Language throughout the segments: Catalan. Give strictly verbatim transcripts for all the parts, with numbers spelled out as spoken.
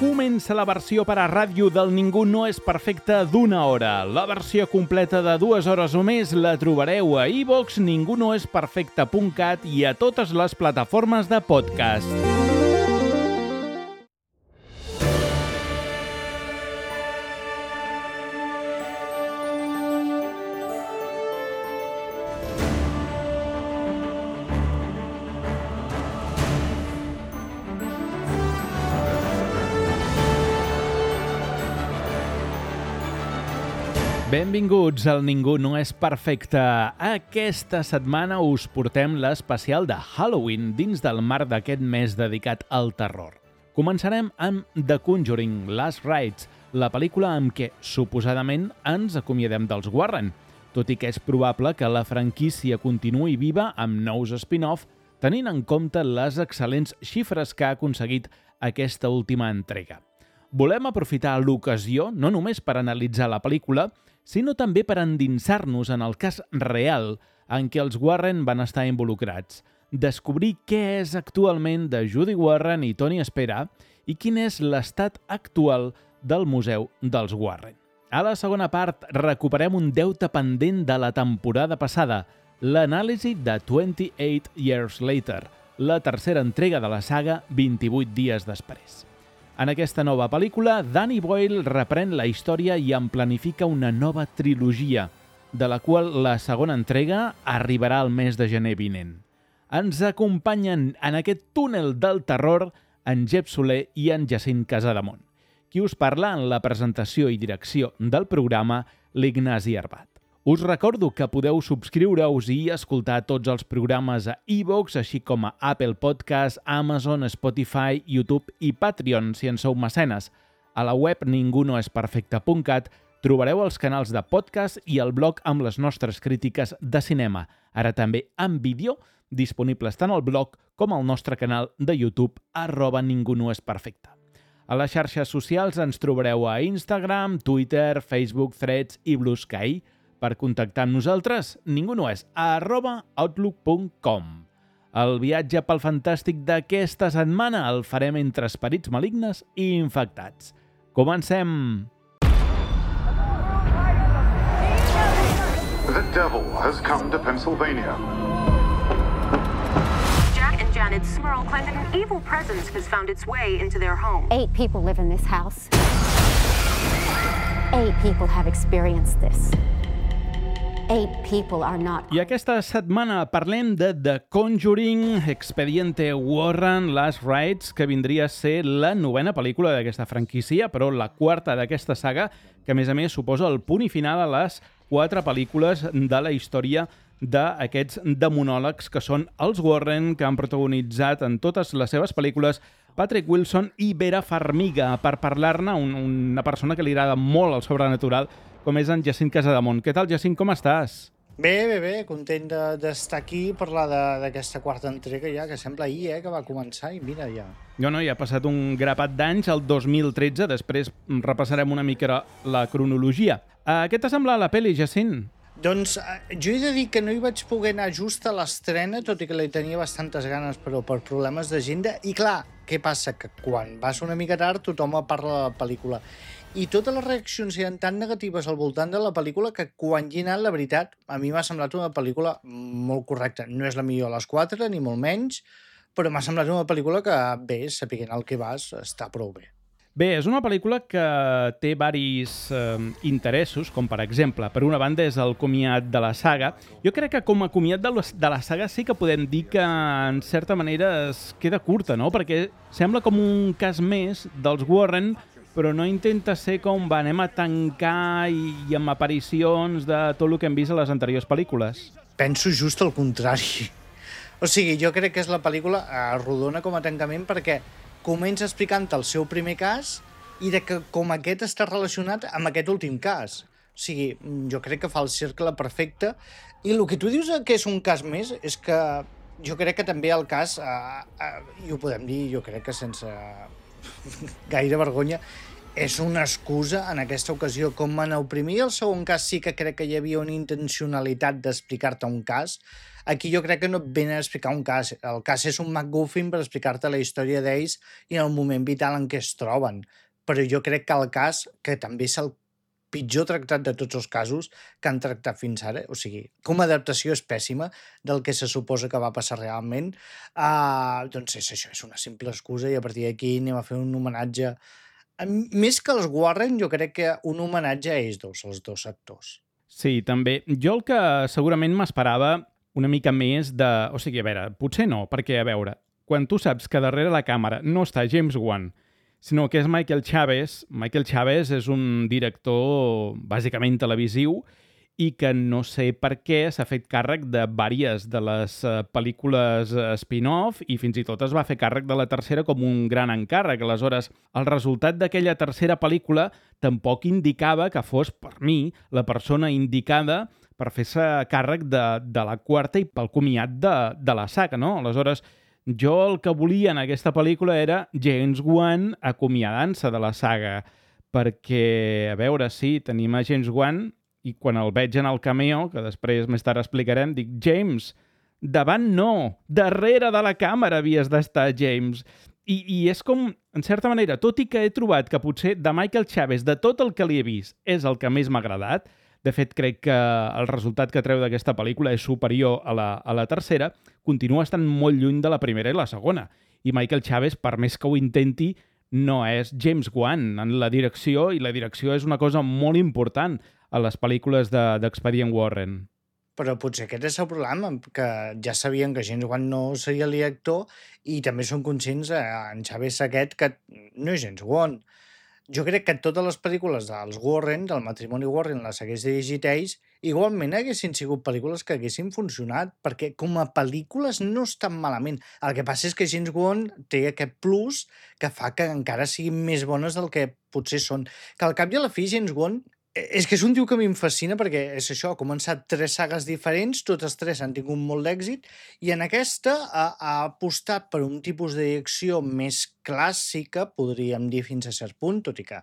Comença la versió per a ràdio del Ningú no és perfecte d'una hora. La versió completa de dues hores o més la trobareu a iVox, ningú no és perfecte punt cat i a totes les plataformes de podcast. Benvinguts al Ningú no és perfecte. Aquesta setmana us portem l'especial de Halloween dins del marc d'aquest mes dedicat al terror. Començarem amb The Conjuring Last Rites, la pel·lícula amb què, suposadament, ens acomiadem dels Warren, tot i que és probable que la franquícia continuï viva amb nous spin-off, tenint en compte les excel·lents xifres que ha aconseguit aquesta última entrega. Volem aprofitar l'ocasió no només per analitzar la pel·lícula, sinó també per endinsar-nos en el cas real en què els Warren van estar involucrats, descobrir què és actualment de Judy Warren i Tony Spera i quin és l'estat actual del Museu dels Warren. A la segona part recuperem un deute pendent de la temporada passada, l'anàlisi de twenty-eight Years Later, la tercera entrega de la saga vint-i-vuit dies després. En aquesta nova pel·lícula, Danny Boyle reprèn la història i en planifica una nova trilogia, de la qual la segona entrega arribarà al mes de gener vinent. Ens acompanyen en aquest túnel del terror en Jep Soler i en Jacint Casademont. Qui us parla en la presentació i direcció del programa, l'Ignasi Arbat. Us recordo que podeu subscriure-us i escoltar tots els programes a iVox, així com a Apple Podcast, Amazon, Spotify, YouTube i Patreon, si en sou mecenes. A la web ningú no és perfecte punt cat trobareu els canals de podcast i el blog amb les nostres crítiques de cinema, ara també en vídeo, disponibles tant al blog com al nostre canal de YouTube, arroba ningú no és perfecte. A les xarxes socials ens trobareu a Instagram, Twitter, Facebook, Threads i Blue Sky. Per contactar amb nosaltres, ningú no és a arroba outlook punt com. El viatge pel fantàstic d'aquesta setmana el farem entre esperits malignes i infectats. Comencem! The devil has come to Pennsylvania. Jack and Janet Smurl claim that an evil presence has found its way into their home. Eight people live in this house. Eight people have experienced this. Eight people are not... I aquesta setmana parlem de The Conjuring Expediente Warren Last Rites, que vindria a ser la novena pel·lícula d'aquesta franquícia, però la quarta d'aquesta saga, que a més a més suposa el punt i final a les quatre pel·lícules de la història d'aquests demonòlegs que són els Warren, que han protagonitzat en totes les seves pel·lícules Patrick Wilson i Vera Farmiga, per parlar-ne, un, una persona que li agrada molt el sobrenatural, com és en Jacint Casademont. Què tal, Jacint, com estàs? Bé, bé, bé, content d'estar de, aquí i parlar d'aquesta quarta entrega ja, que sembla ahir, eh, que va començar i mira ja. No, no, ja ha passat un grapat d'anys, el dos mil tretze, després repassarem una mica la cronologia. Uh, què t'ha semblat la pel·li, Jacint? Doncs jo he de dir que no hi vaig poder anar just a l'estrena, tot i que li tenia bastantes ganes, però per problemes d'agenda. I clar, què passa? Que quan vas una mica tard tothom parla de la pel·lícula. I totes les reaccions eren tan negatives al voltant de la pel·lícula que quan hi he anat, la veritat, a mi m'ha semblat una pel·lícula molt correcta. No és la millor a les quatre, ni molt menys, però m'ha semblat una pel·lícula que, bé, sapiguent el que vas, està prou bé. Bé, és una pel·lícula que té varis eh, interessos, com per exemple, per una banda és el comiat de la saga. Jo crec que com a comiat de la, de la saga sí que podem dir que en certa manera es queda curta, no? Perquè sembla com un cas més dels Warren, però no intenta ser com va, anem a tancar i, i amb aparicions de tot el que hem vist a les anteriors pel·lícules. Penso just el contrari. O sigui, jo crec que és la pel·lícula eh, rodona com a tancament perquè comença explicant el seu primer cas i de que com aquest està relacionat amb aquest últim cas. O sigui, jo crec que fa el cercle perfecte i el que tu dius que és un cas més és que jo crec que també el cas, eh, eh, i ho podem dir, jo crec que sense gaire vergonya, és una excusa en aquesta ocasió. Com en el primer i el segon cas sí que crec que hi havia una intencionalitat d'explicar-te un cas, Aquí jo crec que no et venen a explicar un cas. El cas és un MacGuffin per explicar-te la història d'ells i en el moment vital en què es troben. Però jo crec que el cas, que també és el pitjor tractat de tots els casos que han tractat fins ara, o sigui, com a adaptació és pèssima del que se suposa que va passar realment, uh, doncs és això, és una simple excusa i a partir d'aquí anem a fer un homenatge. Més que els Warren, jo crec que un homenatge a ells dos, els dos actors. Sí, també. Jo el que segurament m'esperava una mica més de... O sigui, a veure, potser no, perquè, a veure, quan tu saps que darrere la càmera no està James Wan, sinó que és Michael Chaves. Michael Chaves és un director bàsicament televisiu i que no sé per què s'ha fet càrrec de vàries de les pel·lícules spin-off i fins i tot es va fer càrrec de la tercera com un gran encàrrec. Aleshores, el resultat d'aquella tercera pel·lícula tampoc indicava que fos, per mi, la persona indicada per fer-se càrrec de, de la quarta i pel comiat de, de la saga, no? Aleshores, jo el que volia en aquesta pel·lícula era James Wan acomiadant-se de la saga, perquè, a veure, sí, tenim a James Wan i quan el veig en el cameo, que després més tard explicarem, dic, James, davant no, darrere de la càmera havies d'estar, James. I, I és com, en certa manera, tot i que he trobat que potser de Michael Chaves, de tot el que li he vist, és el que més m'ha agradat, de fet, crec que el resultat que treu d'aquesta pel·lícula és superior a la, a la tercera, continua estant molt lluny de la primera i la segona. I Michael Chaves, per més que ho intenti, no és James Wan en la direcció, i la direcció és una cosa molt important a les pel·lícules d'Expedient de, Warren. Però potser aquest és el problema, que ja sabien que James Wan no seria el director i també són conscients, eh, en Chaves aquest, que no és James Wan. Jo crec que totes les pel·lícules dels Warren, del matrimoni Warren, les hagués dirigit ells, igualment haguessin sigut pel·lícules que haguessin funcionat, perquè com a pel·lícules no estan malament. El que passa és que James Wan té aquest plus que fa que encara siguin més bones del que potser són. Que al cap i a la fi, James Wan és que és un tio que a mi em fascina perquè és això, ha començat tres sagues diferents, totes tres han tingut molt d'èxit i en aquesta ha, ha apostat per un tipus de direcció més clàssica, podríem dir fins a cert punt, tot i que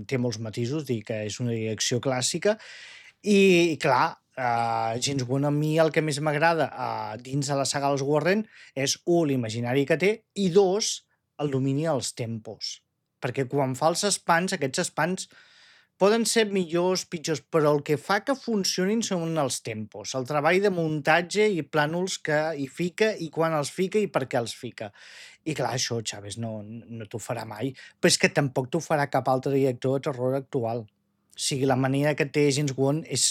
té molts matisos, dir que és una direcció clàssica i, clar, uh, James Wan a mi el que més m'agrada uh, dins de la saga dels Warren és, un, l'imaginari que té i dos, el domini dels tempos, perquè quan fa els espans, aquests espans poden ser millors, pitjors, però el que fa que funcionin són els tempos, el treball de muntatge i plànols que hi fica i quan els fica i per què els fica. I clar, això, Chaves, no, no t'ho farà mai, però és que tampoc t'ho farà cap altre director de terror actual. O sigui, la manera que té James Wan és,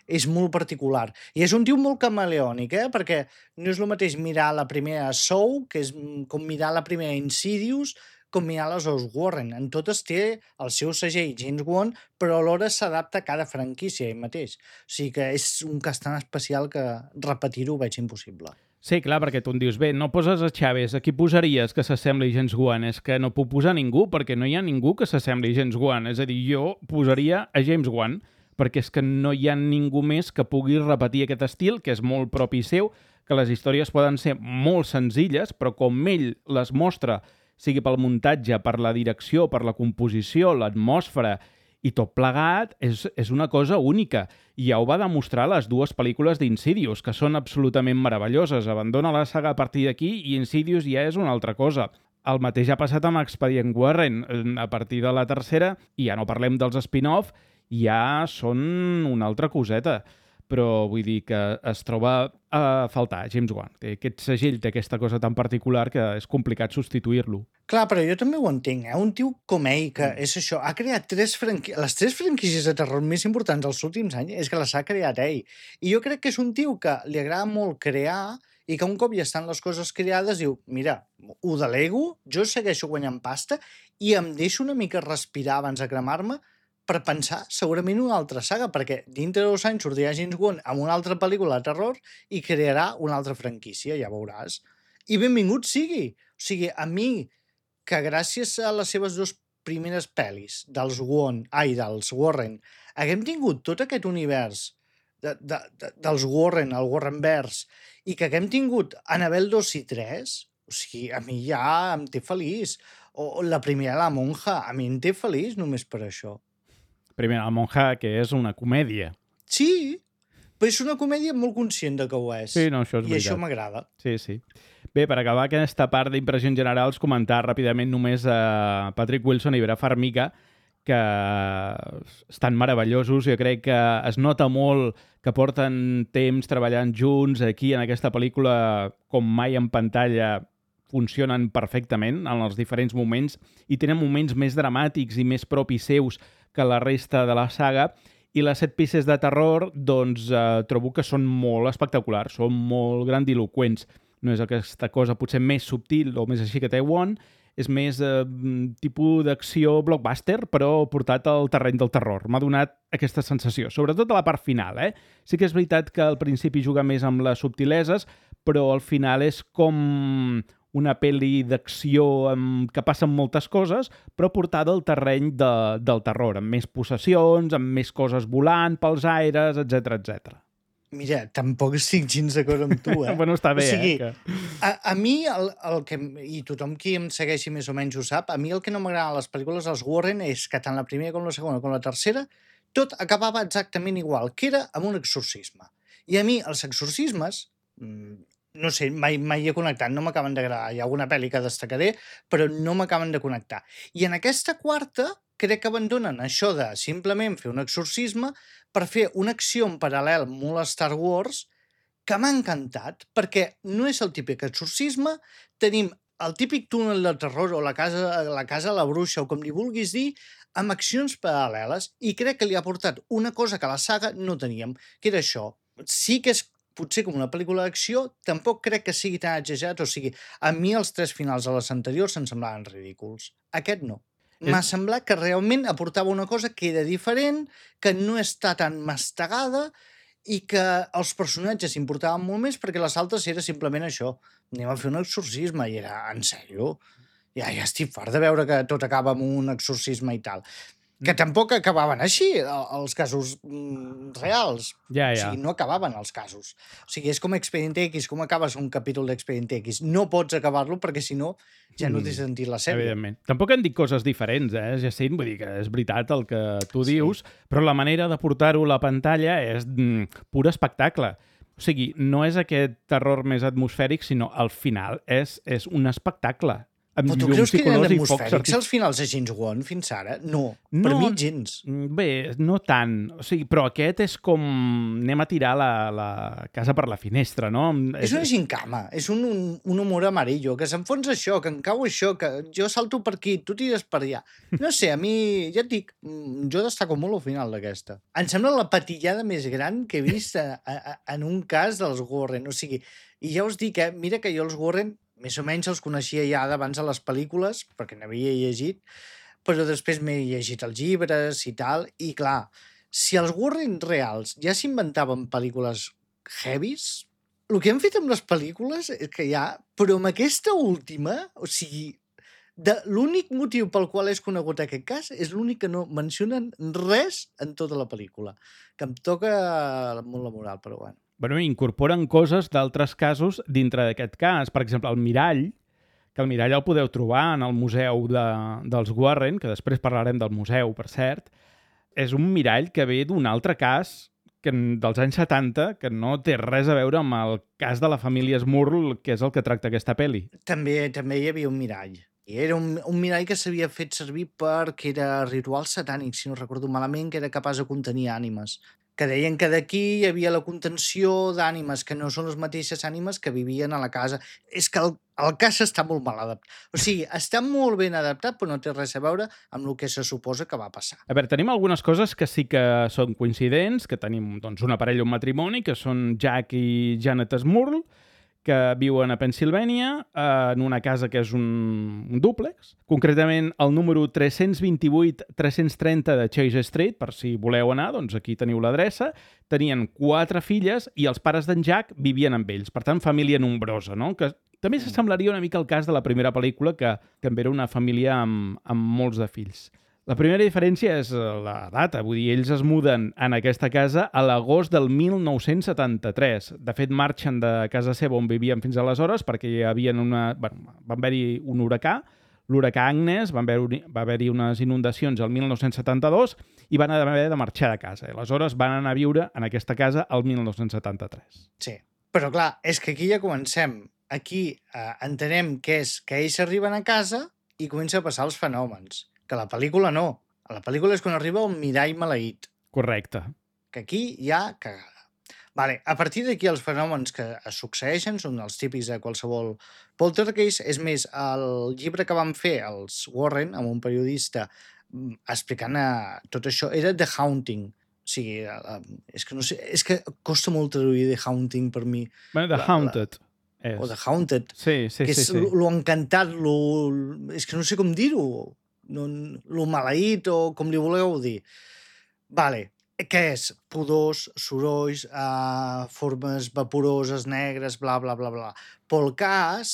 és molt particular. I és un tio molt camaleònic, eh? Perquè no és el mateix mirar la primera Saw, que és com mirar la primera Insidious, com mirar les dos Warren. En totes té el seu segell James Wan, però alhora s'adapta a cada franquícia ell mateix. O sigui que és un cas tan especial que repetir-ho ho veig impossible. Sí, clar, perquè tu em dius, bé, no poses a Chaves, a qui posaries que s'assembli a James Wan? És que no puc posar ningú, perquè no hi ha ningú que s'assembli a James Wan. És a dir, jo posaria a James Wan, perquè és que no hi ha ningú més que pugui repetir aquest estil, que és molt propi seu, que les històries poden ser molt senzilles, però com ell les mostra, sigui pel muntatge, per la direcció, per la composició, l'atmosfera i tot plegat, és, és una cosa única. I ja ho va demostrar les dues pel·lícules d'Insidious, que són absolutament meravelloses. Abandona la saga a partir d'aquí i Insidious ja és una altra cosa. El mateix ha passat amb Expedient Warren. A partir de la tercera, i ja no parlem dels spin-off, ja són una altra coseta. Però vull dir que es troba a faltar James Wan. Té aquest segell, té aquesta cosa tan particular que és complicat substituir-lo. Clar, però jo també ho entenc, eh? Un tio com ell, que és això, ha creat tres franquícies, les tres franquícies de terror més importants dels últims anys, és que les ha creat ell. I jo crec que és un tio que li agrada molt crear i que un cop ja estan les coses creades diu, mira, ho delego, jo segueixo guanyant pasta i em deixo una mica respirar abans de cremar-me per pensar segurament una altra saga, perquè dintre de dos anys sortirà James Wan amb una altra pel·lícula de terror i crearà una altra franquícia, ja veuràs. I benvingut sigui. O sigui, a mi, que gràcies a les seves dues primeres pel·lis dels Wan, ai, dels Warren, haguem tingut tot aquest univers de, de, de, dels Warren, el Warrenverse, i que haguem tingut Annabelle dos i tres, o sigui, a mi ja em té feliç. O la primera, La monja, a mi em té feliç només per això. Primera, La monja, que és una comèdia. Sí, però és una comèdia molt conscient de que ho és. Sí, no, això és I veritat. això m'agrada. Sí, sí. Bé, per acabar aquesta part d'impressions generals, comentar ràpidament només a Patrick Wilson i Vera Farmiga, que estan meravellosos. Jo crec que es nota molt que porten temps treballant junts aquí en aquesta pel·lícula, com mai en pantalla, funcionen perfectament en els diferents moments i tenen moments més dramàtics i més propis seus que la resta de la saga. I les set pistes de terror, doncs, eh, trobo que són molt espectaculars, són molt grandiloquents. No és aquesta cosa potser més subtil o més així que té One, és més eh, tipus d'acció blockbuster, però portat al terreny del terror. M'ha donat aquesta sensació, sobretot a la part final. Eh? Sí que és veritat que al principi juga més amb les subtileses, però al final és com una pel·li d'acció amb... que passen moltes coses, però portada al terreny de... del terror, amb més possessions, amb més coses volant pels aires, etcètera, etcètera. Mira, tampoc estic gens d'acord amb tu, eh? Bueno, està bé, o sigui, eh? Que... A, a mi, el, el que, i tothom qui em segueixi més o menys ho sap, a mi el que no m'agrada a les pel·lícules dels Warren és que tant la primera com la segona com la tercera tot acabava exactament igual, que era amb un exorcisme. I a mi els exorcismes, no sé, mai, mai he connectat, no m'acaben d'agradar. Hi ha alguna pel·li que destacaré, però no m'acaben de connectar. I en aquesta quarta crec que abandonen això de simplement fer un exorcisme per fer una acció en paral·lel molt a Star Wars que m'ha encantat, perquè no és el típic exorcisme, tenim el típic túnel de terror o la casa, la casa a la bruixa o com li vulguis dir, amb accions paral·leles, i crec que li ha portat una cosa que a la saga no teníem, que era això. Sí que és potser com una pel·lícula d'acció, tampoc crec que sigui tan exagerat, o sigui, a mi els tres finals de les anteriors se'm semblaven ridículs. Aquest no. M'ha semblat que realment aportava una cosa que era diferent, que no està tan mastegada i que els personatges importaven molt més perquè les altres era simplement això. Anem a fer un exorcisme i era, en sèrio? Ja, ja estic fart de veure que tot acaba amb un exorcisme i tal. Que tampoc acabaven així, els casos mm, reals. Ja, ja. O sigui, no acabaven els casos. O sigui, és com Expedient X, com acabes un capítol d'Expedient X. No pots acabar-lo perquè, si no, ja no t'he sentit la sèrie. Evidentment. Tampoc han dit coses diferents, eh, Jacint? Vull dir que és veritat el que tu dius, sí. Però la manera de portar-ho a la pantalla és mm, pur espectacle. O sigui, no és aquest terror més atmosfèric, sinó al final és, és un espectacle. Però tu creus que eren atmosfèrics els finals de James Wan fins ara? No, no, per mi gens. Bé, no tant. O sigui, però aquest és com... anem a tirar la, la casa per la finestra, no? És una gincama, és un, un, un humor amarillo, que s'enfonsa això, que em cau això, que jo salto per aquí, tu tires per allà. No sé, a mi, ja et dic, jo destaco molt al final d'aquesta. Em sembla la patillada més gran que he vist a, a, en un cas dels Warren. O sigui, i ja us dic, eh, mira que jo els Warren més o menys els coneixia ja d'abans a les pel·lícules, perquè n'havia llegit, però després m'he llegit els llibres i tal, i clar, si els Warren reals ja s'inventaven pel·lícules heavies, el que han fet amb les pel·lícules és que ja, però amb aquesta última, o sigui, de l'únic motiu pel qual és conegut aquest cas és l'únic que no mencionen res en tota la pel·lícula, que em toca molt la moral, però bueno. Bueno, incorporen coses d'altres casos dintre d'aquest cas. Per exemple, el mirall, que el mirall el podeu trobar en el museu de, dels Warren, que després parlarem del museu, per cert, és un mirall que ve d'un altre cas que, dels anys setanta, que no té res a veure amb el cas de la família Smurl, que és el que tracta aquesta pel·li. També també hi havia un mirall. I era un, un mirall que s'havia fet servir perquè era ritual satànic, si no recordo malament, que era capaç de contenir ànimes. Que deien que d'aquí hi havia la contenció d'ànimes, que no són les mateixes ànimes que vivien a la casa. És que el, el cas està molt mal adaptat. O sigui, està molt ben adaptat, però no té res a veure amb el que se suposa que va passar. A veure, tenim algunes coses que sí que són coincidents, que tenim doncs, una parella, un matrimoni, que són Jack i Janet Smurl, que viuen a Pennsilvània, eh, en una casa que és un, un dúplex. Concretament, el número tres-cents vint-i-vuit tres-cents trenta de Chase Street, per si voleu anar, doncs aquí teniu l'adreça. Tenien quatre filles i els pares d'en Jack vivien amb ells. Per tant, família nombrosa, no? Que també s'assemblaria una mica al cas de la primera pel·lícula, que també era una família amb, amb molts de fills. La primera diferència és la data, vull dir, ells es muden en aquesta casa a l'agost del mil nou-cents setanta-tres. De fet, marxen de casa seva on vivien fins aleshores perquè hi havia una... Bueno, va haver-hi un huracà, l'huracà Agnes, van haver, va haver-hi unes inundacions el mil nou-cents setanta-dos i van haver de marxar de casa. I aleshores van anar a viure en aquesta casa el mil nou-cents setanta-tres. Sí, però clar, és que aquí ja comencem. Aquí eh, entenem que és que ells arriben a casa i comença a passar els fenòmens. Que a la pel·lícula no. A la pel·lícula és quan arriba un mirall maleït. Correcte. Que aquí hi ha cagada. Vale, a partir d'aquí els fenòmens que es succeeixen són els típics de qualsevol poltergeist. És més, el llibre que van fer els Warren, amb un periodista, explicant tot això, era The Haunting. O sigui, és que, no sé, és que costa molt traduir The Haunting per mi. Bueno, The la, Haunted. La, és. o The Haunted. Sí, sí, que sí. és sí. lo encantat, lo, és que no sé com dir-ho. No, lo maleït o com li voleu dir. Vale. Què és? Pudors, sorolls, uh, formes vaporoses, negres, bla, bla, bla, bla. Però el cas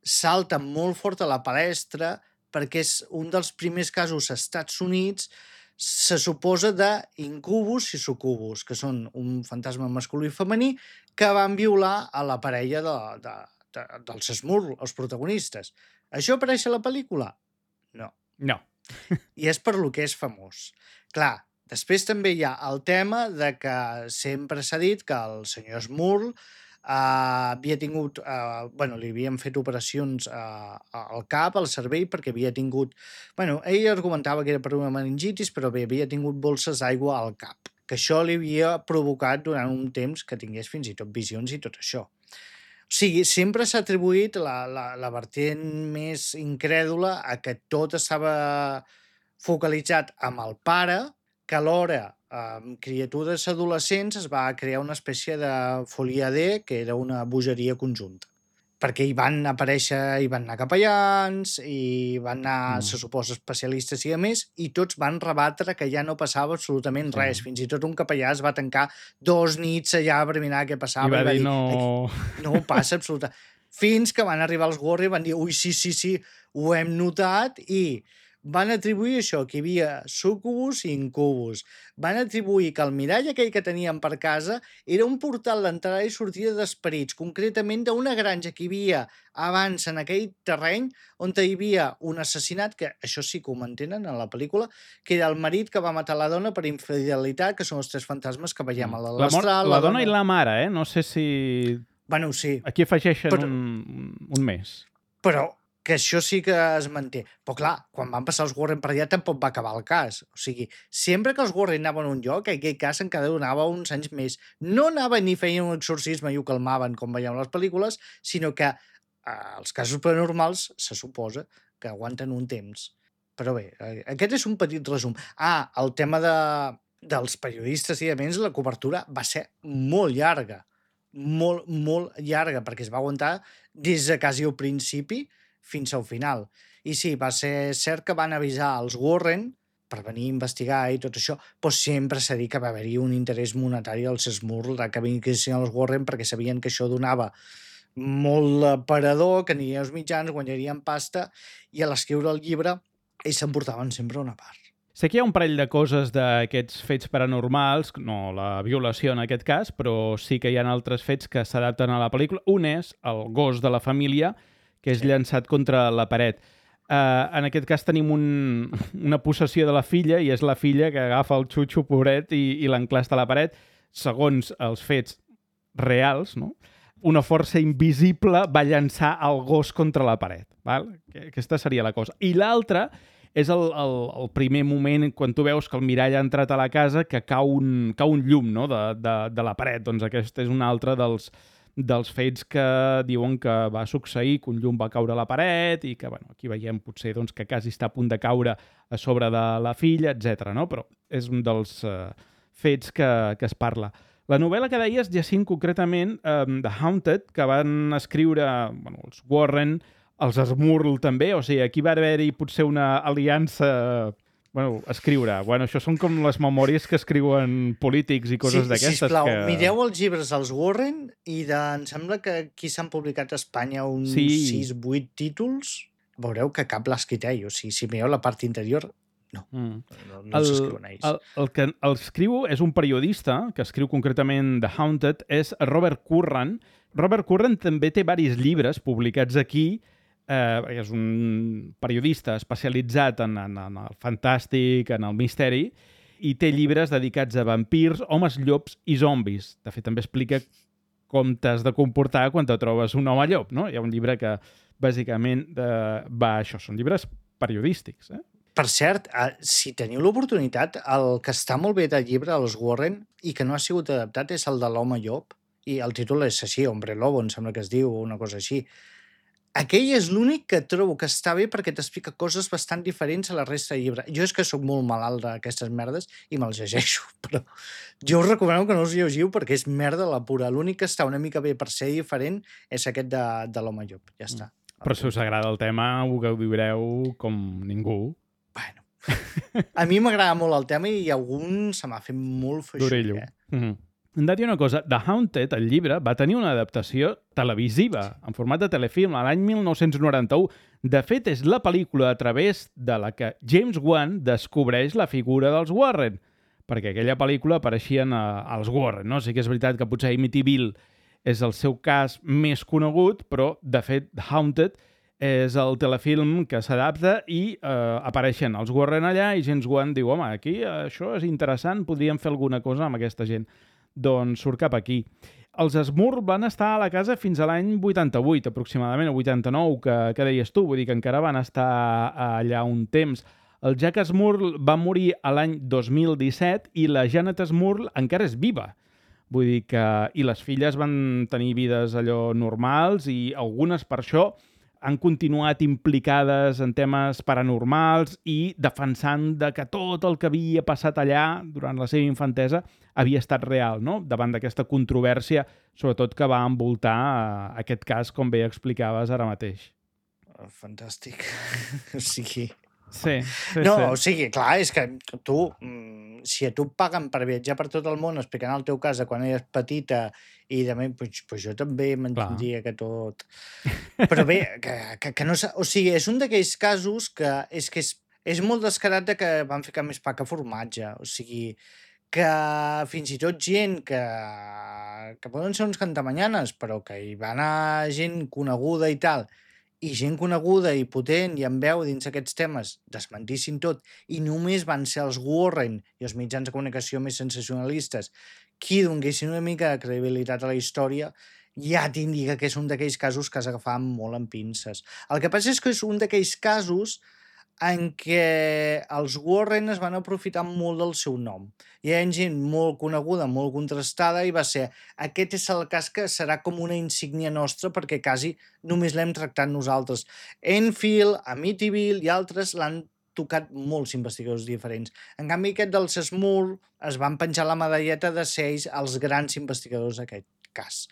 salta molt fort a la palestra perquè és un dels primers casos als Estats Units, se suposa d'incubus i sucubus, que són un fantasma masculí i femení que van violar a la parella de, de, de, dels Smurl, els protagonistes. Això apareix a la pel·lícula? No. No. I és per lo que és famós. Clar, després també hi ha el tema de que sempre s'ha dit que el senyor Smurl uh, havia tingut... Uh, bueno, li havien fet operacions uh, al cap, al cervell, perquè havia tingut... Bueno, ell argumentava que era per una meningitis, però bé, havia tingut bolses d'aigua al cap, que això li havia provocat durant un temps que tingués fins i tot visions i tot això. O sigui, sempre s'ha atribuït la, la, la vertent més incrèdula a que tot estava focalitzat amb el pare, que alhora, amb criatures adolescents, es va crear una espècie de folia D, que era una bogeria conjunta. Perquè hi van aparèixer, hi van anar capellans, i van anar, mm. se suposa, especialistes i a més, i tots van rebatre que ja no passava absolutament sí. res. Fins i tot un capellà es va tancar dos nits allà per mirar què passava. I va, I va dir, dir, no... no passa absolutament. Fins que van arribar els Warren i van dir, ui, sí, sí, sí, ho hem notat, i van atribuir això, que hi havia sucubus i incubus. Van atribuir que el mirall aquell que tenien per casa era un portal d'entrada i sortida d'esperits, concretament d'una granja que hi havia abans en aquell terreny on hi havia un assassinat, que això sí que ho mantenen en la pel·lícula, que era el marit que va matar la dona per infidelitat, que són els tres fantasmes que veiem a l'astral. La, la, la dona i la mare, eh? No sé si... Bueno, sí. Aquí afegeixen però, un, un mes. Però que això sí que es manté. Però clar, quan van passar els Warren per allà tampoc va acabar el cas. O sigui, sempre que els Warren anaven a un lloc, aquell cas encara donava uns anys més. No anaven ni feien un exorcisme i ho calmaven, com veiem a les pel·lícules, sinó que eh, els casos paranormals se suposa que aguanten un temps. Però bé, aquest és un petit resum. Ah, el tema de, dels periodistes i a més, la cobertura va ser molt llarga. Molt, molt llarga, perquè es va aguantar des de quasi al principi fins al final. I sí, va ser cert que van avisar els Warren per venir a investigar i tot això, però sempre s'ha dit que va haver-hi un interès monetari als Smurl que vinguessin els Warren perquè sabien que això donava molt aparador, que anirien els mitjans, guanyarien pasta, i a l'escriure el llibre ells s'emportaven sempre una part. Sé que hi ha un parell de coses d'aquests fets paranormals, no la violació en aquest cas, però sí que hi ha altres fets que s'adapten a la pel·lícula. Un és el gos de la família, que és llançat contra la paret. Uh, en aquest cas tenim un, una possessió de la filla, i és la filla que agafa el xutxo, pobret, i, i l'enclasta a la paret. Segons els fets reals, no? Una força invisible va llançar el gos contra la paret. Val? Aquesta seria la cosa. I l'altra és el, el, el primer moment quan tu veus que el mirall ha entrat a la casa, que cau un, cau un llum, no? de, de, de la paret. Doncs aquest és un altre dels... dels fets que diuen que va succeir, que un llum va caure a la paret i que, bueno, aquí veiem potser doncs, que quasi està a punt de caure a sobre de la filla, etcètera. No? Però és un dels uh, fets que, que es parla. La novel·la que deies, Jacint, concretament, um, The Haunted, que van escriure bueno, els Warren, els Smurl també, o sigui, aquí va haver-hi potser una aliança... Bueno, escriure. Bueno, això són com les memòries que escriuen polítics i coses sí, d'aquestes. Sisplau, que... mireu els llibres dels Warren i de, em sembla que aquí s'han publicat a Espanya uns sí. sis vuit títols. Veureu que cap l'ha escrit ell. O sigui, si mireu la part interior, no. Mm. No, no el, s'escriuen ells. El, el que el escriu és un periodista, que escriu concretament The Haunted, és Robert Curran. Robert Curran també té diversos llibres publicats aquí eh, perquè és un periodista especialitzat en, en, en el fantàstic, en el misteri, i té llibres dedicats a vampirs, homes llops i zombis. De fet, també explica com t'has de comportar quan te trobes un home llop, no? Hi ha un llibre que, bàsicament, eh, va a això. Són llibres periodístics, eh? Per cert, eh, si teniu l'oportunitat, el que està molt bé del llibre dels Warren i que no ha sigut adaptat és el de l'home llop, i el títol és així, Hombre Lobo, em sembla que es diu, o una cosa així. Aquell és l'únic que trobo que està bé perquè t'explica coses bastant diferents a la resta de llibre. Jo és que sóc molt malalt d'aquestes merdes i me'ls llegeixo, però jo us recomano que no us llegiu perquè és merda la pura. L'únic que està una mica bé per ser diferent és aquest de, de l'home llop. Ja està. Però si us agrada el tema, ho gaudireu com ningú. Bueno, a mi m'agrada molt el tema i algun se m'ha fet molt feixuc. D'orello. Eh? Mm-hmm. Hem de dir una cosa, The Haunted, el llibre, va tenir una adaptació televisiva, en format de telefilm, a l'any mil nou-cents noranta-u. De fet, és la pel·lícula a través de la que James Wan descobreix la figura dels Warren, perquè aquella pel·lícula apareixien a, als Warren, no? Sí que és veritat que potser Amityville és el seu cas més conegut, però, de fet, The Haunted és el telefilm que s'adapta i eh, apareixen els Warren allà i James Wan diu, home, aquí això és interessant, podríem fer alguna cosa amb aquesta gent. Doncs surt cap aquí. Els Smurl van estar a la casa fins a l'any vuitanta-vuit, aproximadament, o vuitanta-nou, que, que deies tu, vull dir que encara van estar allà un temps. El Jack Smurl va morir a l'any dos mil disset i la Janet Smurl encara és viva. Vull dir que... I les filles van tenir vides allò normals i algunes per això han continuat implicades en temes paranormals i defensant de que tot el que havia passat allà durant la seva infantesa havia estat real, no? Davant d'aquesta controvèrsia, sobretot que va envoltar eh, aquest cas, com bé explicaves ara mateix. Fantàstic. O sigui... Sí, sí, no, sí. O sigui, clar, és que tu, si a tu et paguen per viatjar per tot el món explicant el teu cas de quan eres petita i també, pues, pues jo també m'entendria que tot... Però bé, que, que, que no... O sigui, és un d'aquells casos que és que és, és molt descarat de que van ficar més pa que formatge. O sigui, que fins i tot gent que, que poden ser uns cantamanyanes, però que hi va anar gent coneguda i tal, i gent coneguda i potent i amb veu dins aquests temes desmentissin tot i només van ser els Warren i els mitjans de comunicació més sensacionalistes qui donguessin una mica de credibilitat a la història, ja t'indica que és un d'aquells casos que has agafat molt amb pinces. El que passa és que és un d'aquells casos en què els Warren es van aprofitar molt del seu nom. Hi ha gent molt coneguda, molt contrastada, i va ser, aquest és el cas que serà com una insígnia nostra perquè quasi només l'hem tractat nosaltres. Enfield, Amityville i altres l'han tocat molts investigadors diferents. En canvi, aquest dels Smurl es van penjar la medalleta de ser ells els grans investigadors d'aquest cas.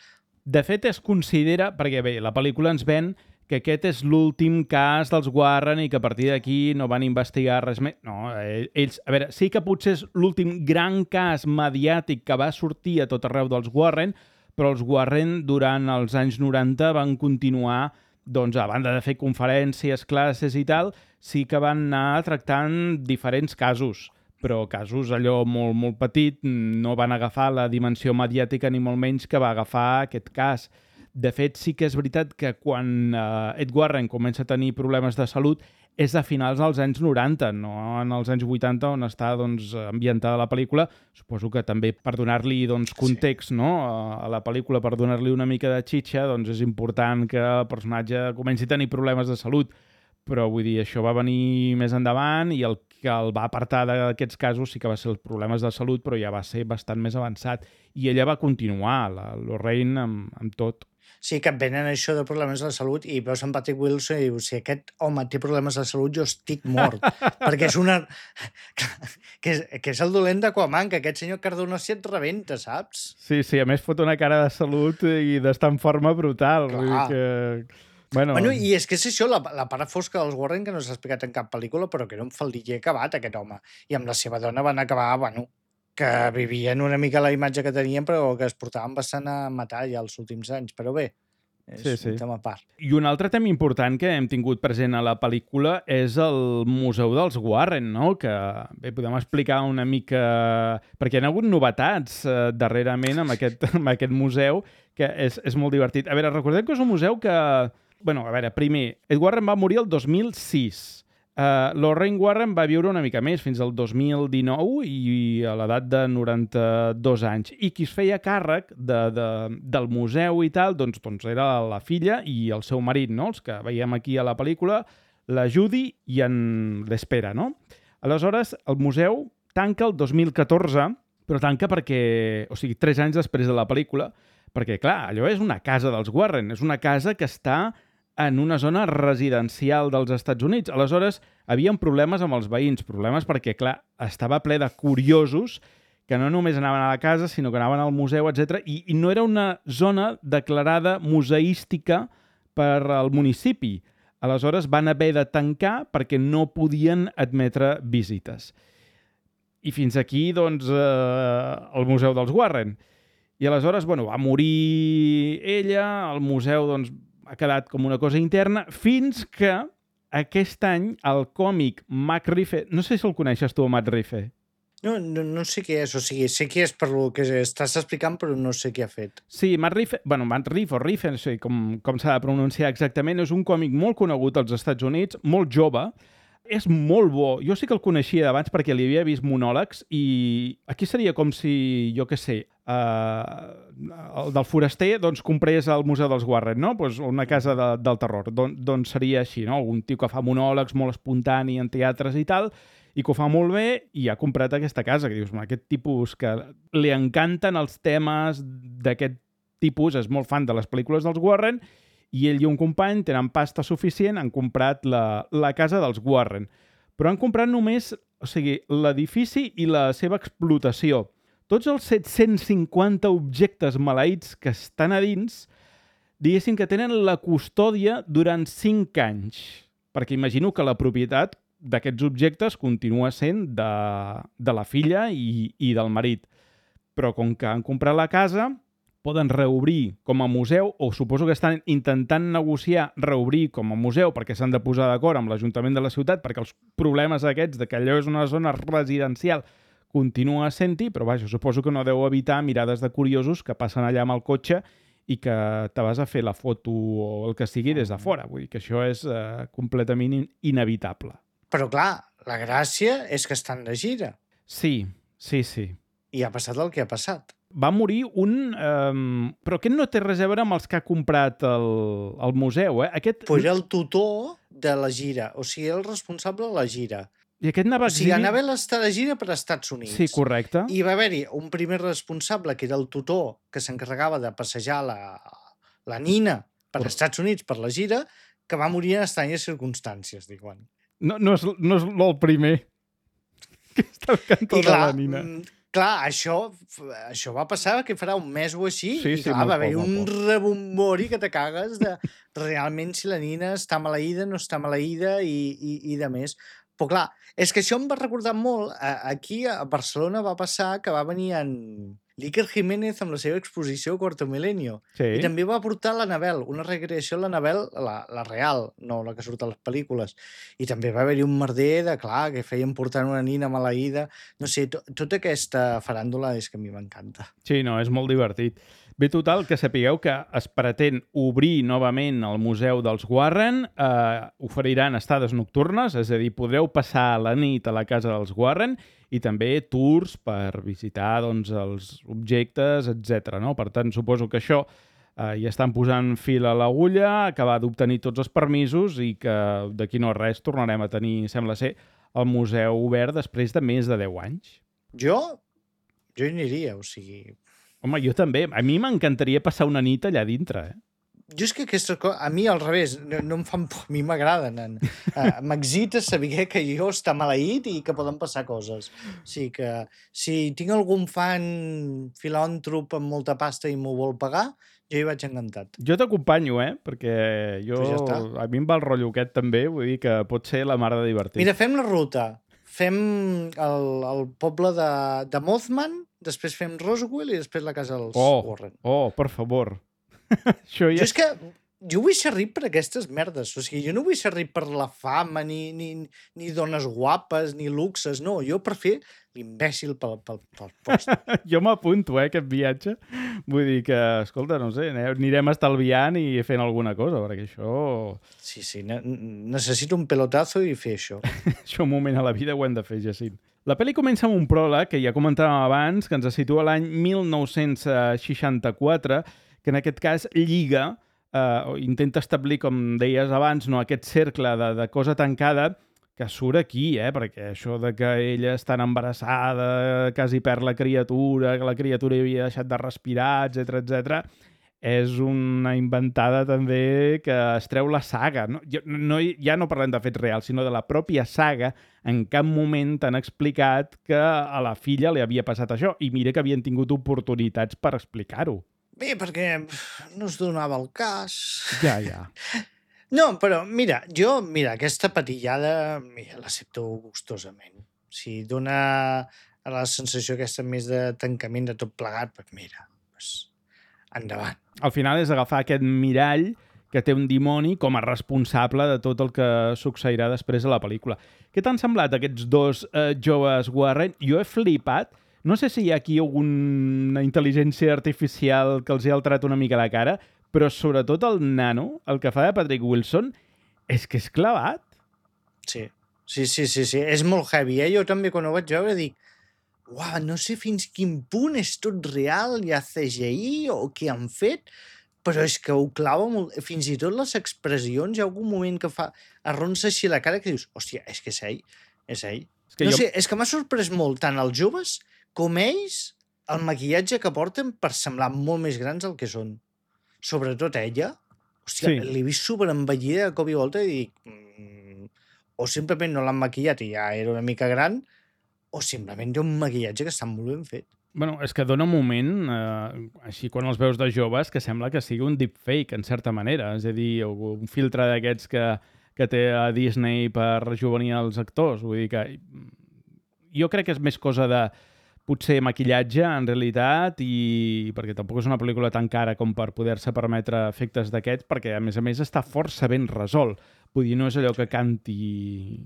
De fet, es considera, perquè bé, la pel·lícula ens ven que aquest és l'últim cas dels Warren i que a partir d'aquí no van investigar res més. No, ells... A veure, sí que potser és l'últim gran cas mediàtic que va sortir a tot arreu dels Warren, però els Warren durant els anys noranta van continuar, doncs, a banda de fer conferències, classes i tal, sí que van anar tractant diferents casos, però casos allò molt, molt petit, no van agafar la dimensió mediàtica ni molt menys que va agafar aquest cas. De fet, sí que és veritat que quan eh, Ed Warren comença a tenir problemes de salut és a finals dels anys noranta, no en els anys vuitanta, on està doncs, ambientada la pel·lícula. Suposo que també per donar-li doncs, context, sí, no? a la pel·lícula, per donar-li una mica de xitxa, doncs és important que el personatge comenci a tenir problemes de salut. Però vull dir, això va venir més endavant i el que el va apartar d'aquests casos sí que va ser els problemes de salut, però ja va ser bastant més avançat. I ella va continuar, la Lorraine, amb, amb tot. Sí, que et venen això de problemes de salut i veus en Patrick Wilson i dius, si aquest home té problemes de salut, jo estic mort. Perquè és una... que, és, que és el dolent d'Aquaman, que aquest senyor Cardona si et rebenta, saps? Sí, sí, a més fot una cara de salut i d'estar en forma brutal. Clar. Vull dir que... Bueno... bueno, i és que és això, la, la part fosca dels Warren, que no s'ha explicat en cap pel·lícula, però que era un faldiller acabat, aquest home. I amb la seva dona van acabar, bueno, que vivien una mica la imatge que tenien, però que es portaven bastant a matar ja els últims anys. Però bé, és sí, sí. un tema a part. I un altre tema important que hem tingut present a la pel·lícula és el Museu dels Warren, no? Que bé, podem explicar una mica... Perquè hi ha hagut novetats eh, darrerament amb aquest, amb aquest museu, que és, és molt divertit. A veure, recordem que és un museu que Bueno, a veure, primer, Ed Warren va morir el dos mil sis. Uh, Lorraine Warren va viure una mica més, fins al dos mil dinou i a l'edat de noranta-dos anys. I qui es feia càrrec de, de, del museu i tal, doncs, doncs era la filla i el seu marit, no? Els que veiem aquí a la pel·lícula, la Judy i en l'Espera, no? Aleshores, el museu tanca el dos mil catorze, però tanca perquè, o sigui, tres anys després de la pel·lícula, perquè, clar, allò és una casa dels Warren, és una casa que està en una zona residencial dels Estats Units. Aleshores, havien problemes amb els veïns, problemes perquè, clar, estava ple de curiosos que no només anaven a la casa, sinó que anaven al museu, etcètera. I, i no era una zona declarada museística per al municipi. Aleshores, van haver de tancar perquè no podien admetre visites. I fins aquí, doncs, eh, el museu dels Warren. I aleshores, bueno, va morir ella, el museu, doncs, ha quedat com una cosa interna, fins que aquest any el còmic Matt Rife... No sé si el coneixes tu, Matt Rife. No, no, no sé què és, o sigui, sé qui és per lo que estàs explicant, però no sé què ha fet. Sí, Matt Rife, bueno, Matt Rife o Rife, no sé com, com s'ha de pronunciar exactament, és un còmic molt conegut als Estats Units, molt jove, és molt bo. Jo sí que el coneixia d'abans perquè li havia vist monòlegs i aquí seria com si, jo què sé, uh, el del foraster doncs comprés al Museu dels Warren, no? Pues una casa de, del terror. Don, doncs seria així, no? Un tio que fa monòlegs molt espontani en teatres i tal, i que ho fa molt bé i ha comprat aquesta casa, que dius, aquest tipus que li encanten els temes d'aquest tipus, és molt fan de les pel·lícules dels Warren, i ell i un company tenen pasta suficient, han comprat la, la casa dels Warren. Però han comprat només, o sigui, l'edifici i la seva explotació. Tots els set-cents cinquanta objectes maleïts que estan a dins, diguéssim que tenen la custòdia durant cinc anys. Perquè imagino que la propietat d'aquests objectes continua sent de, de la filla i, i del marit. Però com que han comprat la casa, poden reobrir com a museu, o suposo que estan intentant negociar reobrir com a museu perquè s'han de posar d'acord amb l'Ajuntament de la ciutat, perquè els problemes aquests de que allò és una zona residencial continua sent-hi, però vaja, suposo que no deu evitar mirades de curiosos que passen allà amb el cotxe i que te vas a fer la foto o el que sigui des de fora. Vull dir que això és eh, completament in inevitable. Però clar, la gràcia és que estan de gira. Sí, sí, sí. I ha passat el que ha passat. Va morir un... Um, però aquest no té res a veure amb els que ha comprat el, el museu, eh? Aquest... Pues era el tutor de la gira, o sigui, el responsable de la gira. I aquest anava... O sigui, anava a estar de gira per als Estats Units. Sí, correcte. I va haver-hi un primer responsable, que era el tutor, que s'encarregava de passejar la, la nina per als Estats Units per la gira, que va morir en estranyes circumstàncies, diuen. No, no és, no és el primer que està al cantó de la nina. Clar, això, això va passar que farà un mes o així, sí, i sí, clar, va haver poc, un rebombori que te cagues de realment si la nina està maleïda, no està maleïda i, i, i de més. Però clar, és que això em va recordar molt, aquí a Barcelona va passar que va venir en l'Iker Jiménez amb la seva exposició Quarto Milenio. Sí. I també va portar l'Anabel, una recreació de l'Anabel, la, la real, no la que surt a les pel·lícules. I també va haver-hi un merder de, clar, que feien portant una nina maleïda. No sé, to, tota aquesta faràndula és que a mi m'encanta. Sí, no, és molt divertit. Bé, total, que sapigueu que es pretén obrir novament el Museu dels Warren, eh, oferiran estades nocturnes, és a dir, podreu passar la nit a la casa dels Warren i també tours per visitar doncs, els objectes, etcètera. No? Per tant, suposo que això eh, ja estan posant fil a l'agulla, acabar d'obtenir tots els permisos i que d'aquí no res tornarem a tenir, sembla ser, el museu obert després de més de deu anys. Jo? Jo hi aniria, o sigui... Home, jo també. A mi m'encantaria passar una nit allà dintre, eh? Jo és que aquestes coses, a mi al revés, no, no em fan por, a mi m'agraden. Uh, M'excita saber que jo està maleït i que poden passar coses. O sigui que si tinc algun fan filàntrop amb molta pasta i m'ho vol pagar, jo hi vaig encantat. Jo t'acompanyo, eh? Perquè jo, ja està. A mi em va el rotllo aquest també, vull dir que pot ser la mar de divertit. Mira, fem la ruta. Fem el, el poble de, de Mothman, després fem Roswell i després la casa dels oh, Warren. Oh, per favor. Això ja... Jo és que jo vull ser ric per aquestes merdes. O sigui, jo no vull ser ric per la fama, ni, ni, ni dones guapes, ni luxes. No, jo per fer l'imbècil pel, pel, pel post. Jo m'apunto, eh, aquest viatge. Vull dir que, escolta, no sé, anirem estalviant i fent alguna cosa, perquè això... Sí, sí, ne necessito un pelotazo i fer això. Això un moment a la vida ho hem de fer, Jacint. La pel·li comença amb un pròleg, que ja comentàvem abans, que ens situa l'any mil nou-cents seixanta-quatre, que en aquest cas lliga, eh, intenta establir, com deies abans, no, aquest cercle de, de cosa tancada que surt aquí, eh? Perquè això de que ella està embarassada, quasi perd la criatura, que la criatura havia deixat de respirar, etcètera, etcètera, és una inventada també que es treu la saga. No? No, ja no parlem de fets reals, sinó de la pròpia saga. En cap moment t'han explicat que a la filla li havia passat això. I mira que havien tingut oportunitats per explicar-ho. Bé, perquè no es donava el cas. Ja, ja. No, però mira, jo, mira, aquesta patillada, mira, l'accepto gustosament. Si dona la sensació aquesta més de tancament de tot plegat, doncs mira, doncs endavant. Al final és agafar aquest mirall que té un dimoni com a responsable de tot el que succeirà després a la pel·lícula. Què t'han semblat aquests dos eh, joves Warren? Jo he flipat. No sé si hi ha aquí alguna intel·ligència artificial que els hi ha alterat una mica la cara, però sobretot el nano, el que fa de Patrick Wilson, és que és clavat. Sí, sí, sí, sí, sí. És molt heavy, eh? Jo també quan ho vaig veure dic, uau, no sé fins quin punt és tot real, hi ha C G I o què han fet, però és que ho clava molt. Fins i tot les expressions, hi ha algun moment que fa arronsa així la cara que dius, hòstia, és que és ell, és ell. És que no jo... sé, és que m'ha sorprès molt tant els joves com ells el maquillatge que porten per semblar molt més grans del que són. Sobretot ella, hòstia, sí. L'he vist superenvellida de cop i volta i dic, mm, o simplement no l'han maquillat i ja era una mica gran, o simplement té un maquillatge que està molt ben fet. Bueno, és que dona un moment, eh, així quan els veus de joves, que sembla que sigui un deepfake, en certa manera. És a dir, un filtre d'aquests que, que té a Disney per rejuvenir els actors. Vull dir que jo crec que és més cosa de potser maquillatge, en realitat, i perquè tampoc és una pel·lícula tan cara com per poder-se permetre efectes d'aquests, perquè, a més a més, està força ben resolt. Vull dir, no és allò que canti...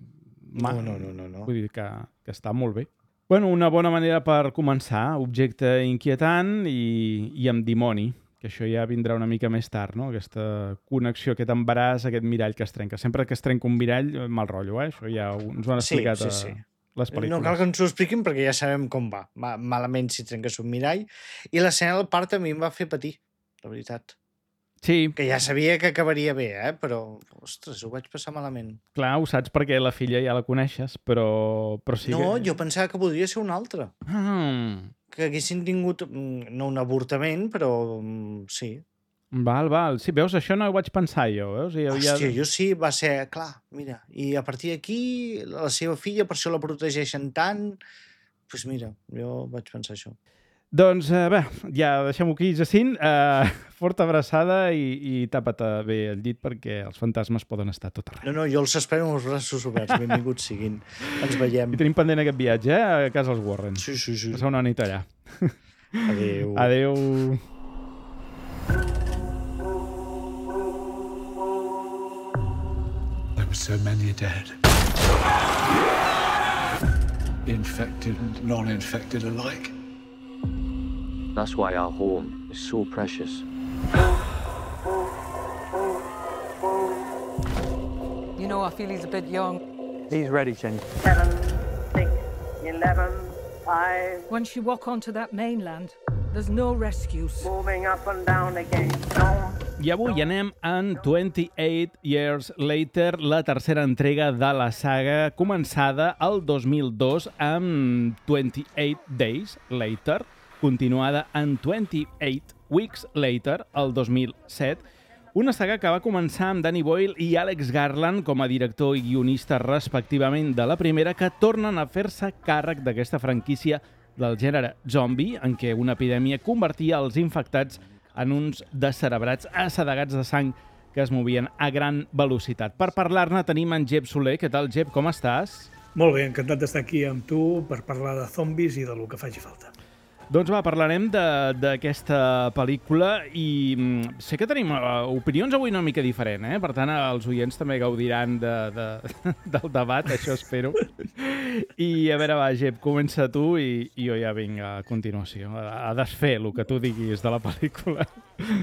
No, no, no, no, no. Vull dir que, que està molt bé. Bueno, una bona manera per començar, objecte inquietant i, i amb dimoni, que això ja vindrà una mica més tard, no? Aquesta connexió, aquest embaràs, aquest mirall que es trenca. Sempre que es trenca un mirall, mal rotllo, eh? Això ja ens ho han explicat sí, sí, sí. a... les pel·lícules. No cal que ens ho expliquin perquè ja sabem com va. va malament si trenques un mirall. I l'escena del part a mi em va fer patir, la veritat. Sí. Que ja sabia que acabaria bé, eh? Però, ostres, ho vaig passar malament. Clar, ho saps perquè la filla ja la coneixes, però, però sí no, que... jo pensava que podria ser una altra. Mm. Que haguessin tingut, no un avortament, però sí. Val, val. Sí, veus, això no ho vaig pensar jo, veus? I Hòstia, ja... jo sí, va ser, clar, mira, i a partir d'aquí, la seva filla, per això la protegeixen tant, doncs pues mira, jo vaig pensar això. Doncs, eh, bé, ja deixem-ho aquí, Jacint. Eh, forta abraçada i, i tapa't bé el llit perquè els fantasmes poden estar tot arreu. No, no, jo els espero amb els braços oberts, benvinguts siguin. Ens veiem. I tenim pendent aquest viatge, eh, a casa els Warren. Sí, sí, sí. Passar una nit allà. Adéu. Adéu. There were so many dead. Infected and non-infected alike. That's why our home is so precious. You know, I feel he's a bit young. He's ready, Jenny. Seven, six, eleven, five. Once you walk onto that mainland, there's no rescues. Moving up and down again. No. I avui anem en twenty-eight Years Later, la tercera entrega de la saga, començada el dos mil dos amb twenty-eight Days Later, continuada en twenty-eight Weeks Later, el dos mil set, una saga que va començar amb Danny Boyle i Alex Garland com a director i guionista respectivament de la primera, que tornen a fer-se càrrec d'aquesta franquícia del gènere zombie, en què una epidèmia convertia els infectats en uns descerebrats assedegats de sang que es movien a gran velocitat. Per parlar-ne tenim en Jep Soler. Què tal, Jep? Com estàs? Molt bé, encantat d'estar aquí amb tu per parlar de zombis i de lo que faci falta. Doncs va, parlarem d'aquesta pel·lícula i mm, sé que tenim uh, opinions avui una mica diferent, eh? Per tant, els oients també gaudiran de, de, del debat, això espero. I a veure, va, Gep, comença tu i, i jo ja vinc a continuació a, a desfer el que tu diguis de la pel·lícula.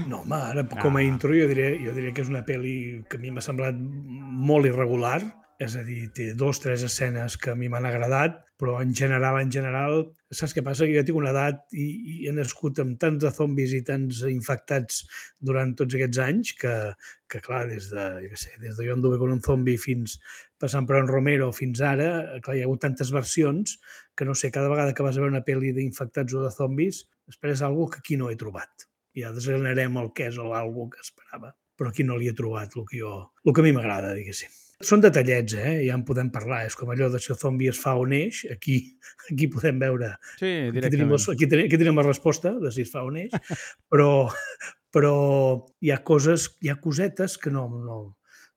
No, home, ara com a ah. intro jo diré, jo diré que és una pel·li que a mi m'ha semblat molt irregular, és a dir, té dos, tres escenes que a mi m'han agradat, però en general, en general, saps què passa? Que jo tinc una edat i, i he nascut amb tants de zombis i tants infectats durant tots aquests anys que, que clar, des de, jo què sé, des de jo anduve con un zombi fins passant per en Romero fins ara, clar, hi ha hagut tantes versions que no sé, cada vegada que vas a veure una pel·li d'infectats o de zombis, esperes alguna que aquí no he trobat. Ja desgranarem el què és o alguna que esperava, però aquí no li he trobat el que, jo, el que a mi m'agrada, diguéssim. Són detallets, eh? Ja en podem parlar. És com allò de si el zombi es fa o neix. Aquí, aquí podem veure... Sí, aquí tenim, aquí, tenim, aquí tenim la resposta de si es fa o neix, però, però hi ha coses, hi ha cosetes que no, no,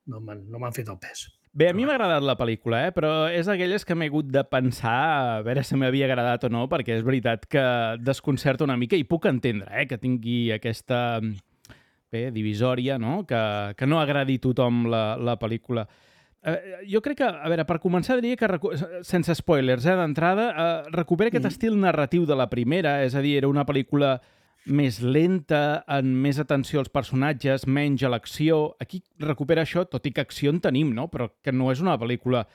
no m'han no m'han fet el pes. Bé, a mi m'ha agradat la pel·lícula, eh? Però és d'aquelles que m'he hagut de pensar a veure si m'havia agradat o no, perquè és veritat que desconcerta una mica i puc entendre eh? Que tingui aquesta bé, divisòria, no? Que, que no agradi a tothom la, la pel·lícula. Uh, jo crec que, a veure, per començar diria que, sense spoilers, eh, d'entrada, uh, recupera aquest mm. estil narratiu de la primera, és a dir, era una pel·lícula més lenta, amb més atenció als personatges, menys a l'acció. Aquí recupera això, tot i que acció en tenim, no? Però que no és una pel·lícula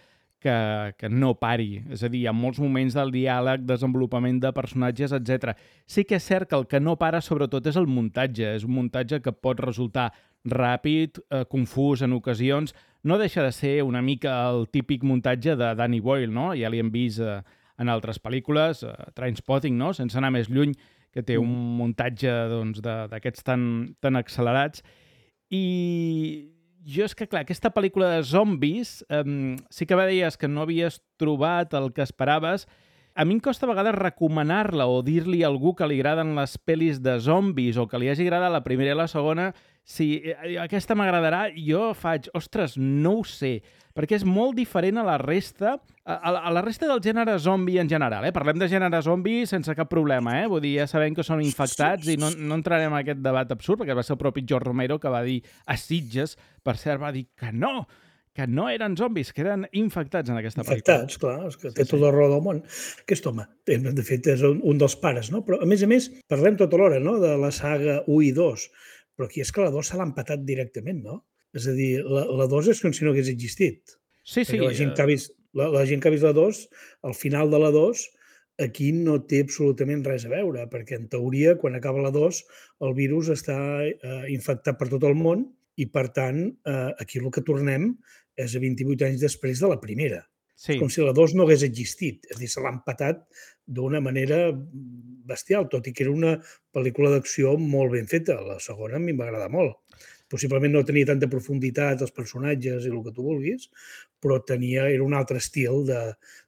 que, que no pari. És a dir, hi ha molts moments del diàleg, desenvolupament de personatges, etcètera. Sí que és cert que el que no para, sobretot, és el muntatge. És un muntatge que pot resultar ràpid, eh, confús en ocasions. No deixa de ser una mica el típic muntatge de Danny Boyle, no? Ja l'hi hem vist eh, en altres pel·lícules, eh, Trainspotting, no? Sense anar més lluny, que té un muntatge doncs, d'aquests tan, tan accelerats. I jo és que, clar, aquesta pel·lícula de zombis, eh, sí que deies que no havies trobat el que esperaves. A mi em costa a vegades recomanar-la o dir-li a algú que li agraden les pel·lis de zombis o que li hagi agradat la primera i la segona, si aquesta m'agradarà, jo faig, ostres, no ho sé, perquè és molt diferent a la resta, a, a la resta del gènere zombi en general. Eh? Parlem de gènere zombi sense cap problema, eh? Vull dir, ja sabem que són infectats i no, no entrarem en aquest debat absurd, perquè va ser el propi George Romero que va dir a Sitges, per cert, va dir que no, que no eren zombis, que eren infectats en aquesta pel·lícula. Infectats, clar, és que té sí, tot el raó del món. Aquest home, de fet, és un, un dels pares, no? Però, a més a més, parlem tota l'hora, no?, de la saga u i dos, però aquí és que la dos se l'ha empatat directament, no? És a dir, la, la dos és com si no hagués existit. Sí, sí. La gent que ha vist la, la, gent que ha vist la dos, al final de la dos, aquí no té absolutament res a veure, perquè en teoria, quan acaba la dos, el virus està eh, infectat per tot el món i, per tant, eh, aquí el que tornem és a vint-i-vuit anys després de la primera. Sí. Com si la dos no hagués existit. És a dir, se l'ha empatat d'una manera bestial, tot i que era una pel·lícula d'acció molt ben feta. La segona a mi m'agrada molt. Possiblement no tenia tanta profunditat els personatges i el que tu vulguis, però tenia, era un altre estil de,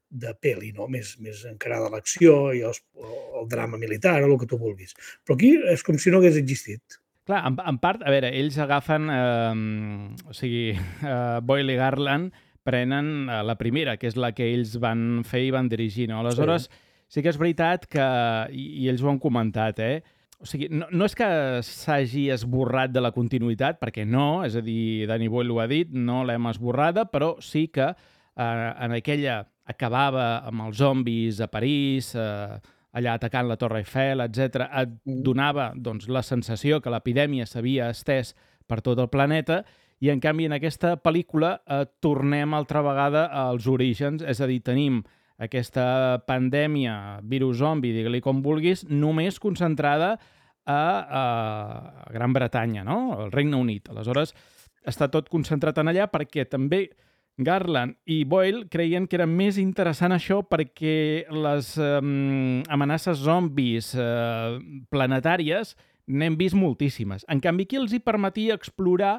de pel·li, no? Més, més encarada a l'acció i els, el drama militar o el que tu vulguis. Però aquí és com si no hagués existit. Clar, en, en part, a veure, ells agafen, eh, o sigui, eh, Boyle i Garland prenen eh, la primera, que és la que ells van fer i van dirigir, no? Aleshores, sí, sí que és veritat que, i, i ells ho han comentat, eh? O sigui, no, no és que s'hagi esborrat de la continuïtat, perquè no, és a dir, Danny Boyle ho ha dit, no l'hem esborrada, però sí que eh, en aquella acabava amb els zombis a París, eh, allà atacant la Torre Eiffel, etcètera, et donava doncs, la sensació que l'epidèmia s'havia estès per tot el planeta i, en canvi, en aquesta pel·lícula eh, tornem altra vegada als orígens, és a dir, tenim aquesta pandèmia, virus zombi, digue-li com vulguis, només concentrada a, a Gran Bretanya, no? Al Regne Unit. Aleshores, està tot concentrat en allà perquè també Garland i Boyle creien que era més interessant això perquè les eh, amenaces zombis eh, planetàries n'hem vist moltíssimes. En canvi, aquí els hi permetia explorar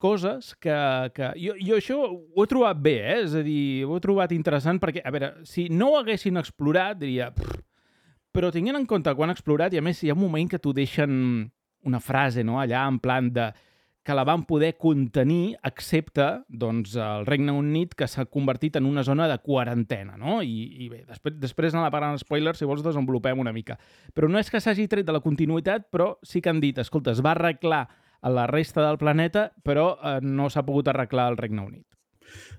coses que... que jo, jo això ho he trobat bé, eh? És a dir, ho he trobat interessant perquè, a veure, si no ho haguessin explorat, diria... Pff, però tenint en compte quan han explorat, i a més hi ha un moment que t'ho deixen una frase, no?, allà en plan de... que la van poder contenir, excepte doncs, el Regne Unit, que s'ha convertit en una zona de quarantena, no? I, i bé, després, després en la part en spoilers, si vols, desenvolupem una mica. Però no és que s'hagi tret de la continuïtat, però sí que han dit, escolta, es va arreglar a la resta del planeta, però eh, no s'ha pogut arreglar al Regne Unit.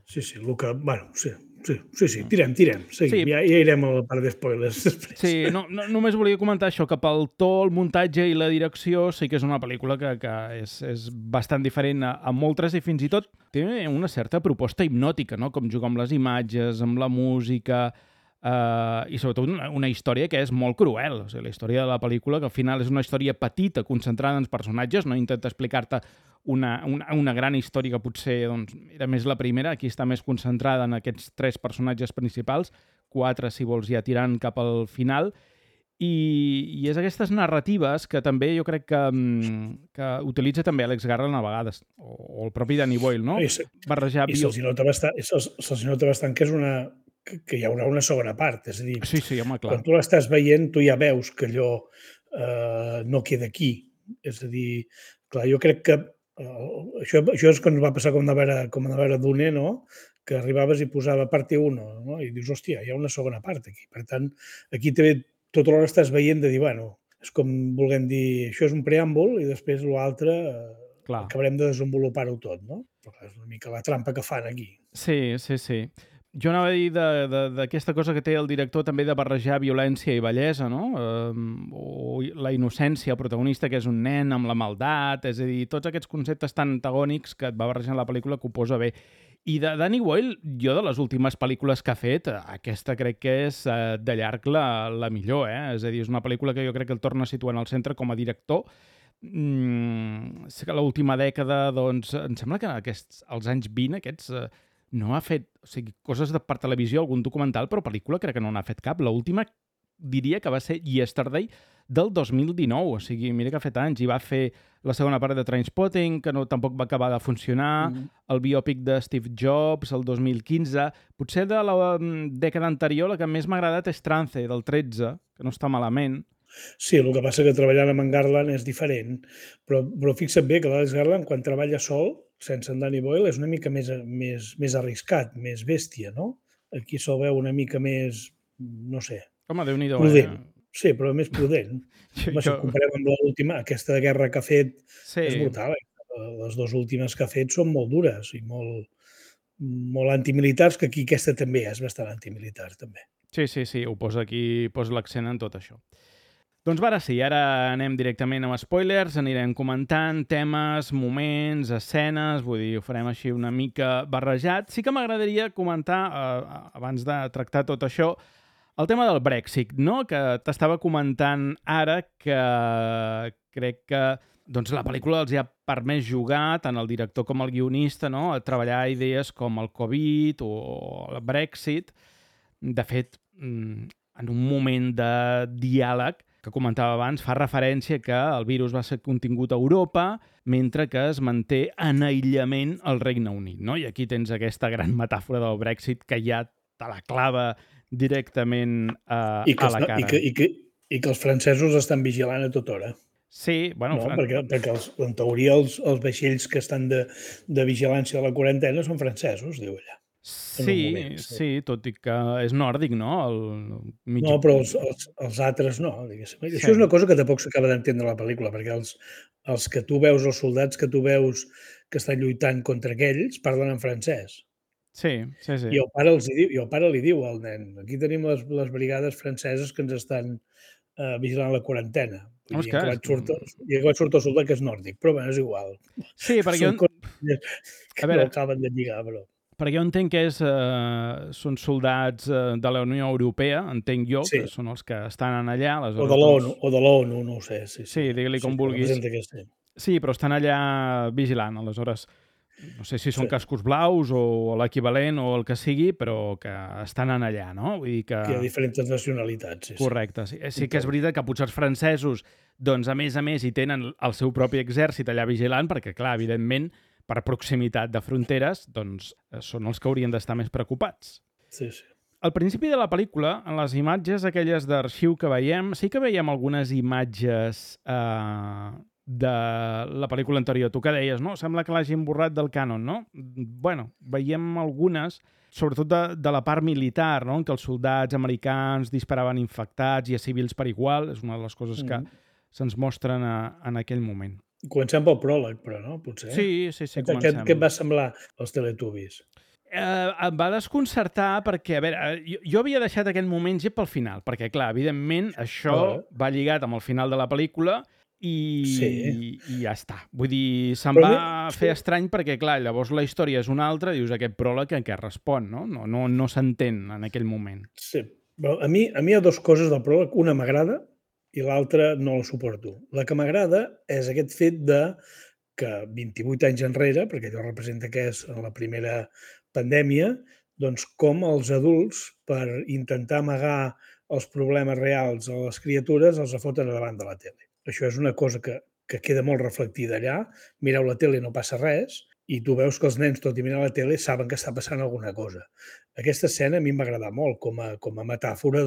Sí, sí, el que... Bueno, sí, sí, sí, sí. tirem, tirem. Sí, sí. Ja, ja irem a la part d'espoilers després. Sí, no, no, només volia comentar això, que pel to, el muntatge i la direcció sí que és una pel·lícula que, que és, és bastant diferent a, a moltes i fins i tot té una certa proposta hipnòtica, no? Com jugar amb les imatges, amb la música, eh, i sobretot una, una història que és molt cruel. O sigui, la història de la pel·lícula, que al final és una història petita, concentrada en els personatges, no intenta explicar-te Una, una, una gran història que potser doncs, era més la primera, aquí està més concentrada en aquests tres personatges principals, quatre, si vols, ja tirant cap al final, i, i és aquestes narratives que també jo crec que, que utilitza també Alex Garland a vegades, o, o el propi Danny Boyle, no? I, Barrejar i se'ls nota bastant, se'ls, se'ls nota bastant que és una que, que hi haurà una segona part, és a dir, sí, sí, home, clar. Quan tu l'estàs veient, tu ja veus que allò eh, no queda aquí, és a dir, clar, jo crec que Uh, això, això és quan va passar com de veure, com de veure Dune, no? Que arribaves i posava parte uno, no? I dius, hòstia, hi ha una segona part aquí. Per tant, aquí també tota l'hora estàs veient de dir, bueno, és com vulguem dir, això és un preàmbul i després l'altre eh, acabarem de desenvolupar-ho tot, no? Però és una mica la trampa que fan aquí. Sí, sí, sí. Jo anava a dir d'aquesta cosa que té el director també de barrejar violència i bellesa, no? Eh, o la innocència, el protagonista, que és un nen amb la maldat, és a dir, tots aquests conceptes tan antagònics que et va barrejant la pel·lícula que ho posa bé. I de Danny Boyle, jo de les últimes pel·lícules que ha fet, aquesta crec que és eh, de llarg la, la millor, eh? És a dir, és una pel·lícula que jo crec que el torna a situar en el centre com a director. Mm, sé que l'última dècada, doncs, em sembla que aquests, als anys vint, aquests... Eh, no ha fet, o sigui, coses de, per televisió, algun documental, però pel·lícula crec que no n'ha fet cap. L'última diria que va ser Yesterday del dos mil dinou, o sigui, mira que ha fet anys, i va fer la segona part de Trainspotting, que no, tampoc va acabar de funcionar, mm-hmm. el biòpic de Steve Jobs, el dos mil quinze, potser de la dècada anterior la que més m'ha agradat és Trance, del tretze, que no està malament. Sí, el que passa que treballant amb en Garland és diferent, però, però fixa't bé que l'Alex Garland, quan treballa sol, sense en Danny Boyle, és una mica més, més, més arriscat, més bèstia, no? Aquí se'l veu una mica més, no sé... Home, Déu-n'hi-do, prudent. Eh? Sí, però més prudent. jo, Home, si ho comparem amb l'última, aquesta guerra que ha fet sí. és brutal. Les dues últimes que ha fet són molt dures i molt, molt antimilitars, que aquí aquesta també és bastant antimilitar, també. Sí, sí, sí, ho posa aquí, posa l'accent en tot això. Doncs ara sí, ara anem directament amb spoilers, anirem comentant temes, moments, escenes, vull dir, ho farem així una mica barrejat. Sí que m'agradaria comentar, eh, abans de tractar tot això, el tema del Brexit, no? Que t'estava comentant ara que crec que doncs, la pel·lícula els ha permès jugar, tant el director com el guionista, no? A treballar idees com el Covid o el Brexit. De fet, en un moment de diàleg, que comentava abans, fa referència que el virus va ser contingut a Europa, mentre que es manté en aïllament al Regne Unit, no? I aquí tens aquesta gran metàfora del Brexit que ja te la clava directament uh, I que, a la cara. I que, i, que, I que els francesos estan vigilant a tota hora. Sí, bueno... No, Fran... perquè, perquè els, en teoria els, els vaixells que estan de, de vigilància de la quarantena són francesos, diu allà. Sí, moment, sí, sí, tot i que és nòrdic, no? El mig... No, però els, els, els altres no, diguéssim. Sí. Això és una cosa que tampoc s'acaba d'entendre la pel·lícula, perquè els, els que tu veus, els soldats que tu veus que estan lluitant contra aquells, parlen en francès. Sí, sí, sí. I el pare, els diu, i el pare li diu al nen, aquí tenim les, les brigades franceses que ens estan uh, vigilant la quarantena. I oh, que vaig sortir, i vaig sortir el soldat que és nòrdic, però bé, és igual. Sí, perquè... Són coses que a veure... no acaben de lligar, però... Perquè jo entenc que és, eh, són soldats eh, de la Unió Europea, entenc jo, sí. Que són els que estan allà. O de l'ONU, o de l'ONU, no ho sé. Sí, sí, sí digue-li com sí, vulguis. Sí. sí, però estan allà vigilant, aleshores. No sé si són sí. cascos blaus o l'equivalent o el que sigui, però que estan allà, no? Vull dir que... que hi ha diferents nacionalitats. Sí, correcte. Sí, sí que és veritat que potser els francesos, doncs, a més a més, hi tenen el seu propi exèrcit allà vigilant, perquè, clar, evidentment, per proximitat de fronteres, doncs són els que haurien d'estar més preocupats. Sí, sí. Al principi de la pel·lícula, en les imatges aquelles d'arxiu que veiem, sí que veiem algunes imatges eh, de la pel·lícula anterior. Tu que deies, no? Sembla que l'hagin borrat del cànon, no? Bueno, veiem algunes, sobretot de, de la part militar, no? En què els soldats americans disparaven infectats i a civils per igual. És una de les coses que mm. se'ns mostren a, en aquell moment. Comencem pel pròleg, però, no? Potser. Sí, sí, sí, comencem. Què, què et va semblar els Teletubbies? Eh, em va desconcertar perquè, a veure, jo, jo havia deixat aquell moment ja pel final, perquè, clar, evidentment, això oh. va lligat amb el final de la pel·lícula i, sí. i, i ja està. Vull dir, se'm Però va mi... fer estrany perquè, clar, llavors la història és una altra, dius aquest pròleg en què respon, no? No, no, no s'entén en aquell moment. Sí, però a mi, a mi hi ha dues coses del pròleg. Una m'agrada i l'altra no la suporto. La que m'agrada és aquest fet de que vint-i-vuit anys enrere, perquè allò representa que és la primera pandèmia, doncs com els adults, per intentar amagar els problemes reals a les criatures, els foten davant de la tele. Això és una cosa que, que queda molt reflectida allà. Mireu la tele i no passa res, i tu veus que els nens, tot i mirar la tele, saben que està passant alguna cosa. Aquesta escena a mi em va agradar molt com a, com a metàfora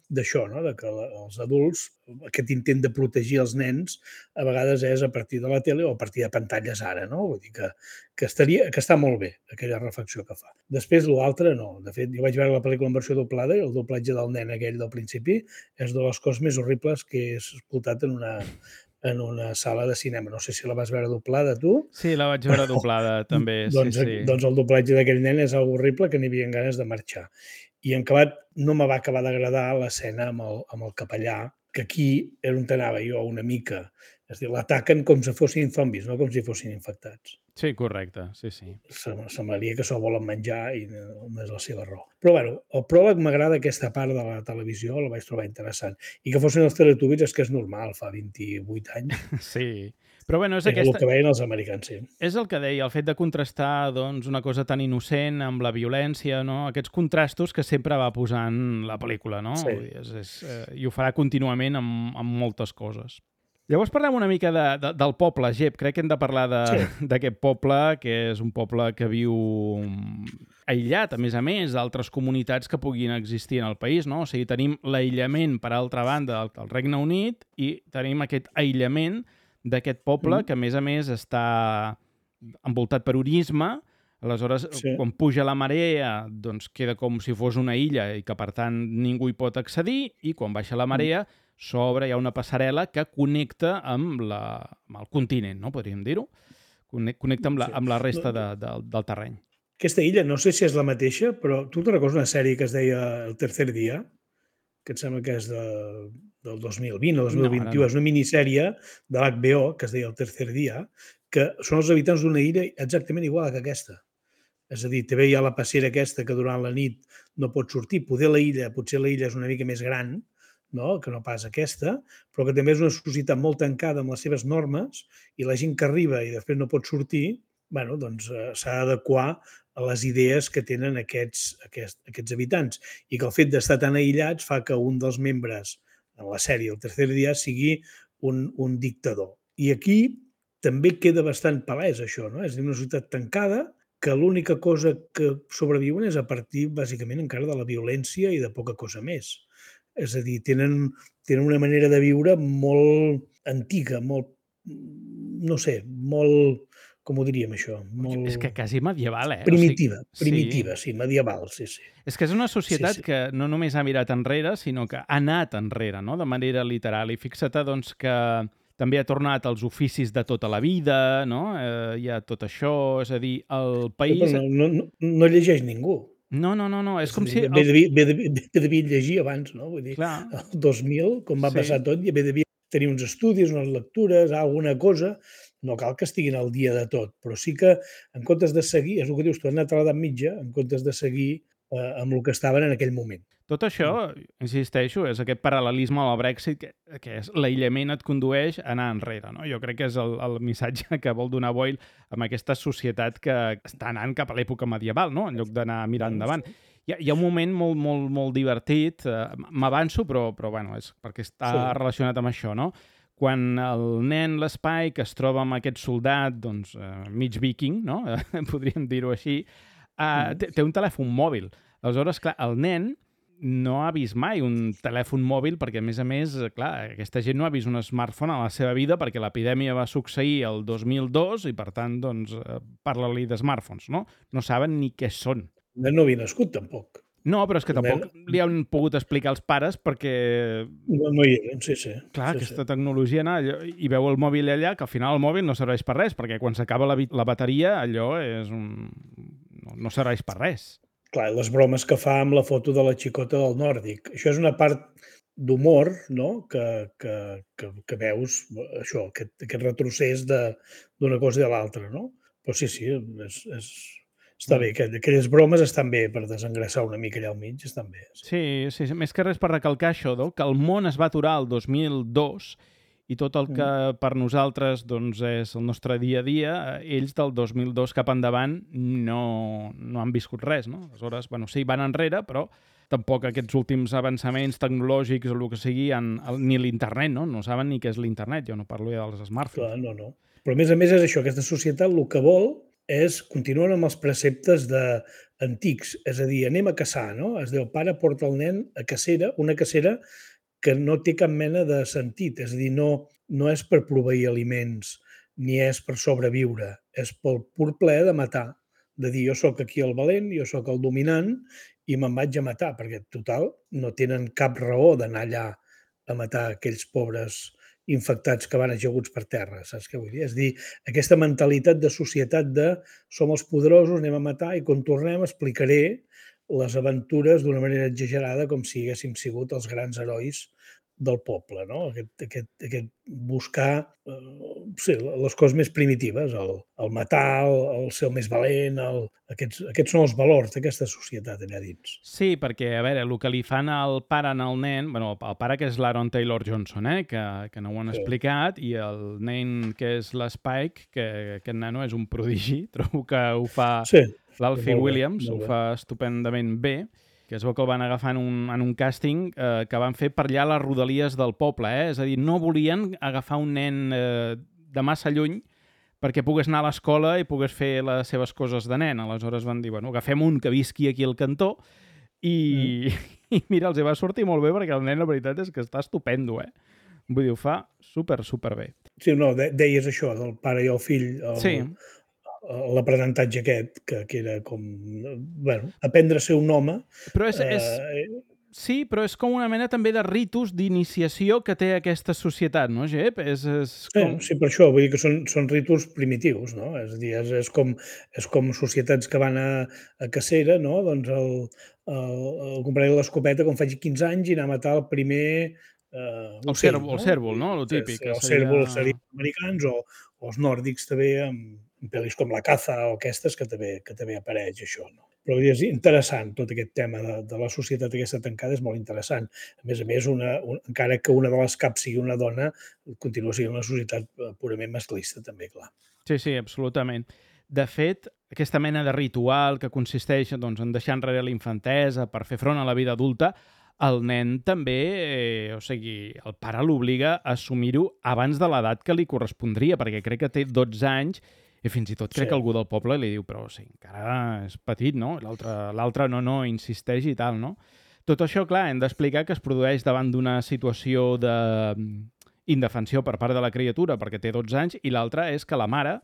d'això, no? De que els adults, aquest intent de protegir els nens, a vegades és a partir de la tele o a partir de pantalles ara, no? Vull dir que, que, estaria, que està molt bé, aquella reflexió que fa. Després, l'altre, no. De fet, jo vaig veure la pel·lícula en versió doblada i el doblatge del nen aquell del principi és de les coses més horribles que he escoltat en una... en una sala de cinema. No sé si la vas veure doblada, tu. Sí, la vaig veure doblada, també. doncs, sí, sí. doncs el doblatge d'aquell nen és algo horrible que n'hi havia ganes de marxar. I en acabat no me va acabar d'agradar l'escena amb, el, amb el capellà, que aquí era on anava jo una mica. És a dir, l'ataquen com si fossin zombis, no com si fossin infectats. Sí, correcte, sí, sí. Semblaria que s'ho volen menjar i no és la seva raó. Però, bueno, el pròleg m'agrada aquesta part de la televisió, la vaig trobar interessant. I que fossin els Teletubbies és que és normal, fa vint-i-vuit anys. Sí, però bueno, és Era aquesta... el que veien els americans, sí. És el que deia, el fet de contrastar doncs, una cosa tan innocent amb la violència, no? Aquests contrastos que sempre va posant la pel·lícula, no? Sí. És, és, eh, I ho farà contínuament amb, amb moltes coses. Llavors parlem una mica de, de, del poble, Gep. Crec que hem de parlar d'aquest sí. poble, que és un poble que viu aïllat, a més a més, d'altres comunitats que puguin existir en el país, no? O sigui, tenim l'aïllament, per altra banda, del, del Regne Unit i tenim aquest aïllament d'aquest poble mm. que, a més a més, està envoltat per urisme. Aleshores, sí. quan puja la marea, doncs queda com si fos una illa i que, per tant, ningú hi pot accedir, i quan baixa la marea, mm. sobre hi ha una passarel·la que connecta amb, la, amb el continent, no? Podríem dir-ho. Connecta amb la, amb la resta de, de, del terreny. Aquesta illa, no sé si és la mateixa, però tu te recordes una sèrie que es deia El tercer dia, que em sembla que és de, del dos mil vint o dos mil vint-i-u, no, no. És una minissèrie de l'H B O que es deia El tercer dia, que són els habitants d'una illa exactament igual que aquesta. És a dir, també hi ha la passera aquesta que durant la nit no pot sortir. Poder la illa, potser la illa és una mica més gran, no? Que no pas aquesta, però que també és una societat molt tancada amb les seves normes i la gent que arriba i després no pot sortir, bueno, doncs eh, s'ha d'adequar a les idees que tenen aquests, aquests, aquests habitants i que el fet d'estar tan aïllats fa que un dels membres en la sèrie El tercer dia sigui un, un dictador. I aquí també queda bastant palès això, no? És una societat tancada que l'única cosa que sobreviuen és a partir, bàsicament, encara de la violència i de poca cosa més. És a dir, tenen, tenen una manera de viure molt antiga, molt, no sé, molt, com ho diríem això? Molt... És que quasi medieval, eh? Primitiva, o sigui, primitiva, sí. sí, medieval, sí, sí. És que és una societat sí, sí. que no només ha mirat enrere, sinó que ha anat enrere, no? De manera literal. I fixa't, doncs, que també ha tornat als oficis de tota la vida, no? Eh, hi ha tot això, és a dir, el país... Però no, no, no llegeix ningú. No, no, no, no. és, és com dir, si... Bé devia, bé, devia, bé devia llegir abans, no? Vull dir, Clar. el dos mil, com va Sí. passar tot, bé devia tenir uns estudis, unes lectures, alguna cosa. No cal que estiguin al dia de tot, però sí que, en comptes de seguir, és el que dius, tu has anat a l'edat mitja, en comptes de seguir eh, amb el que estaven en aquell moment. Tot això, insisteixo, és aquest paral·lelisme al Brexit, que, que és l'aïllament et condueix a anar enrere, no? Jo crec que és el, el missatge que vol donar Boyle amb aquesta societat que està anant cap a l'època medieval, no? En lloc d'anar mirant endavant. Hi ha, hi ha un moment molt, molt, molt divertit, eh, m'avanço, però, però bueno, és perquè està sí. relacionat amb això, no? Quan el nen, l'Spike, es troba amb aquest soldat, doncs, eh, mig viking, no? Podríem dir-ho així, eh, té, té un telèfon mòbil. Aleshores, clar, el nen no ha vist mai un telèfon mòbil perquè, a més a més, clar, aquesta gent no ha vist un smartphone a la seva vida perquè l'epidèmia va succeir el dos mil dos i, per tant, doncs, parla-li de smartphones, no? No saben ni què són. No havia nascut, tampoc. No, però és que tampoc li han pogut explicar als pares perquè... No, no hi eren, sí, sí. Clar, sí, aquesta sí. tecnologia, no, allò, i veu el mòbil allà, que al final el mòbil no serveix per res, perquè quan s'acaba la, la bateria, allò és un... no, no serveix per res. Clar, les bromes que fa amb la foto de la xicota del nòrdic. Això és una part d'humor, no?, que, que, que, que veus, això, aquest, aquest retrocés d'una cosa i de l'altra, no? Però sí, sí, és, és, està bé. Aquelles bromes estan bé per desengressar una mica allà al mig, estan bé. Sí, sí, sí, més que res per recalcar això, no?, que el món es va aturar el dos mil dos i tot el que per nosaltres doncs, és el nostre dia a dia, ells del dos mil dos cap endavant no, no han viscut res, no? Aleshores, bueno, sí, van enrere, però tampoc aquests últims avançaments tecnològics o el que sigui, han, ni l'internet, no? No saben ni què és l'internet, jo no parlo ja dels smartphones. Clar, no, no. Però a més a més és això, aquesta societat el que vol és continuar amb els preceptes de antics, és a dir, anem a caçar, no? Es diu, el pare porta el nen a cacera, una cacera que no té cap mena de sentit, és a dir, no, no és per proveir aliments ni és per sobreviure, és pel pur plaer de matar, de dir, jo sóc aquí el valent, jo sóc el dominant i me'n vaig a matar, perquè, total, no tenen cap raó d'anar allà a matar aquells pobres infectats que van ajaguts per terra, saps què vull dir? És a dir, aquesta mentalitat de societat de som els poderosos, anem a matar i quan tornem explicaré les aventures d'una manera exagerada com si haguéssim sigut els grans herois del poble, no? Aquest, aquest, aquest buscar eh, sí, les coses més primitives, el, el matar, el, el ser el més valent, el, aquests, aquests són els valors d'aquesta societat allà dins. Sí, perquè, a veure, el que li fan al pare al nen, bueno, el pare que és l'Aaron Taylor Johnson, eh, que, que no ho han sí. explicat, i el nen que és l'Spike, que aquest nano és un prodigi, trobo que ho fa sí, l'Alfie Williams, ho fa estupendament bé, que es veu que el van agafar en un, en un càsting eh, que van fer per allà les rodalies del poble, eh? És a dir, no volien agafar un nen eh, de massa lluny perquè pogués anar a l'escola i pogués fer les seves coses de nen. Aleshores van dir, bueno, agafem un que visqui aquí al cantó i, mm. i mira, els va sortir molt bé perquè el nen, la veritat, és que està estupendo, eh? Vull dir, ho fa super, super bé. Sí, no, de, deies això, del pare i el fill. El... Sí. L'aprenentatge aquest, que, que era com, bueno, aprendre a ser un home. Però és, és, eh... sí, però és com una mena també de ritus d'iniciació que té aquesta societat, no, Jep? És, és com... sí, sí, per això, vull dir que són, són ritus primitius, no? És a dir, és, és, com, és com societats que van a, a cacera, no? Doncs el, el, el compraré l'escopeta quan faci quinze anys i anar a matar el primer... Eh, el cèrvol, no? El cèrvol, no? Lo típic. Sí, el cèrvol serien americans o, o els nòrdics també amb pel·lis com La caza o aquestes que també, que també apareix això, no? Però és interessant tot aquest tema de, de la societat aquesta tancada, és molt interessant. A més a més, una, un, encara que una de les caps sigui una dona, continua sent una societat purament masclista també, clar. Sí, sí, absolutament. De fet, aquesta mena de ritual que consisteix doncs, en deixar enrere la infantesa per fer front a la vida adulta, el nen també, eh, o sigui, el pare l'obliga a assumir-ho abans de l'edat que li correspondria, perquè crec que té dotze anys i fins i tot crec sí. que algú del poble li diu però o sigui, encara és petit, no? L'altre no, no, insisteix i tal, no? Tot això, clar, hem d'explicar que es produeix davant d'una situació d'indefensió per part de la criatura perquè té dotze anys i l'altra és que la mare,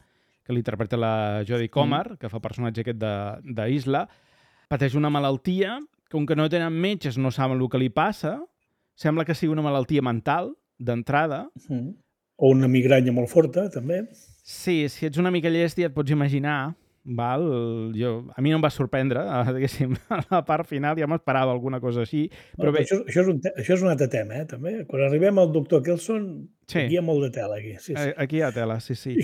que l'interpreta la Jodie Comer, mm. que fa personatge aquest d'Isla, pateix una malaltia, com que no tenen metges, no saben el que li passa, sembla que sigui una malaltia mental, d'entrada. Mm. O una migranya molt forta, també. Sí, si ets una mica llest ja et pots imaginar, val? Jo, a mi no em va sorprendre, diguéssim, a la part final ja m'esperava alguna cosa així. Però no, bé... això, això, és un te això és un altre tema, eh, també. Quan arribem al doctor Kelson, sí. aquí hi ha molt de tela. Aquí, sí, sí. Aquí hi ha tela, sí, sí.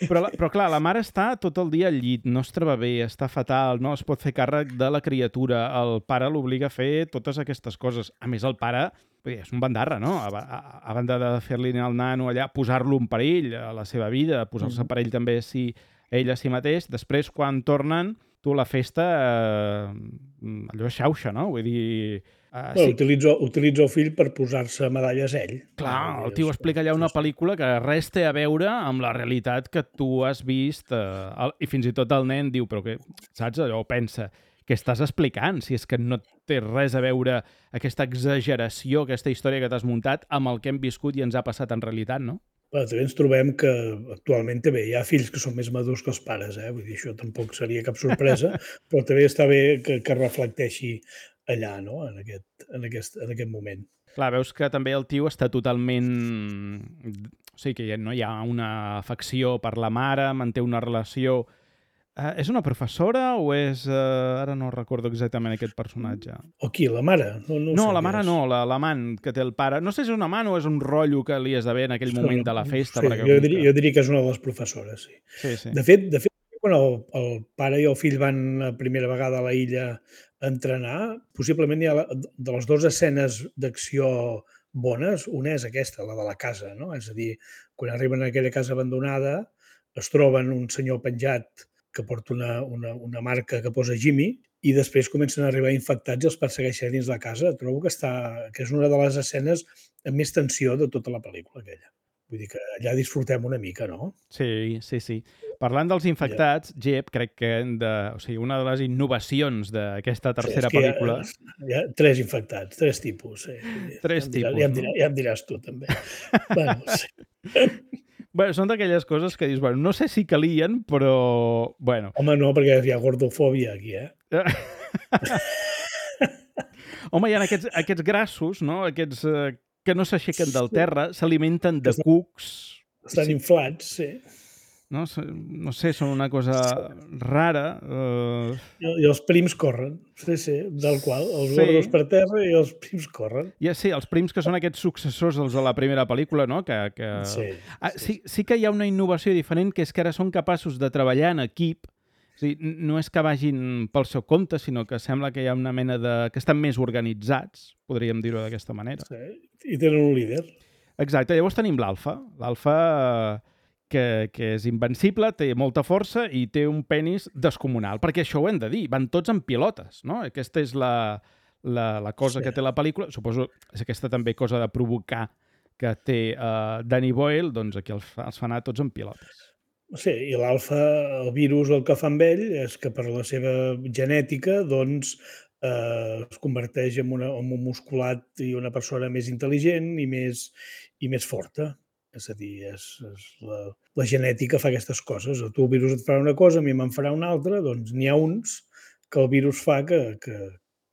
Però, però clar, la mare està tot el dia al llit, no es troba bé, està fatal, no es pot fer càrrec de la criatura, el pare l'obliga a fer totes aquestes coses. A més, el pare... és un bandarra, no? A, a, a banda de fer-li al nano allà, posar-lo en perill a la seva vida, posar-se en perill també si ell a si mateix, després quan tornen, tu la festa eh, allò xauxa, no? Vull dir... Uh, sí. utilitza, utilitza el fill per posar-se medalles ell. Clar, el tio explica allà una pel·lícula que res té a veure amb la realitat que tu has vist eh, el, i fins i tot el nen diu, però que, saps, allò pensa, què estàs explicant? Si és que no té res a veure aquesta exageració, aquesta història que t'has muntat amb el que hem viscut i ens ha passat en realitat, no? Però també ens trobem que actualment també hi ha fills que són més madurs que els pares, eh? Vull dir, això tampoc seria cap sorpresa, però també està bé que, que reflecteixi allà, no? En aquest, en aquest, en aquest moment. Clar, veus que també el tio està totalment... O sigui, que no hi ha una afecció per la mare, manté una relació... Uh, és una professora o és... Uh, ara no recordo exactament aquest personatge. O qui, la mare? No, no, no sé la mare no, la, l'amant que té el pare. No sé si és un amant o és un rotllo que li esdevé en aquell moment de la festa. Sí, perquè jo, diria, jo diria que és una de les professores, sí. sí, sí. De fet, de fet quan el, el pare i el fill van la primera vegada a la illa a entrenar, possiblement hi ha la, de les dues escenes d'acció bones, una és aquesta, la de la casa, no? És a dir, quan arriben a aquella casa abandonada, es troben un senyor penjat que porta una, una, una marca que posa Jimmy i després comencen a arribar infectats i els persegueixen dins la casa. Trobo que, està, que és una de les escenes amb més tensió de tota la pel·lícula aquella. Vull dir que allà disfrutem una mica, no? Sí, sí, sí. Parlant dels infectats, ja. Jep, crec que de, o sigui, una de les innovacions d'aquesta tercera sí, pel·lícula... Hi ha, hi ha tres infectats, tres tipus. Sí. Tres ja tipus, ja em diràs, no? Ja em diràs tu, també. bueno, sí. Bueno, són d'aquelles coses que dius, bueno, no sé si calien, però... Bueno. Home, no, perquè hi ha gordofòbia aquí, eh? Home, hi ha aquests, aquests grassos, no? Aquests eh, que no s'aixequen del terra, s'alimenten de cucs. Estan sí. inflats, sí. No, no sé, són una cosa rara. Uh... I, I els prims corren, sí, sí, del qual, els sí. gordos per terra i els prims corren. Ja, sí, els prims que són aquests successors dels de la primera pel·lícula, no? Que, que... Sí, ah, sí, sí que hi ha una innovació diferent, que és que ara són capaços de treballar en equip. O sigui, no és que vagin pel seu compte, sinó que sembla que hi ha una mena de... que estan més organitzats, podríem dir-ho d'aquesta manera. Sí, i tenen un líder. Exacte, llavors tenim l'Alfa. L'Alfa... Que, que és invencible, té molta força i té un penis descomunal, perquè això ho hem de dir, van tots en pilotes, no? Aquesta és la, la, la cosa sí. que té la pel·lícula, suposo és aquesta també cosa de provocar que té uh, Danny Boyle, doncs aquí els, els fa anar tots en pilotes. Sí, i l'alfa, el virus, el que fa amb ell és que per la seva genètica, doncs, eh, es converteix en, una, en un musculat i una persona més intel·ligent i més, i més forta. És a dir, és, és la, la genètica fa aquestes coses. A tu el virus et farà una cosa, a mi me'n farà una altra, doncs n'hi ha uns que el virus fa que, que,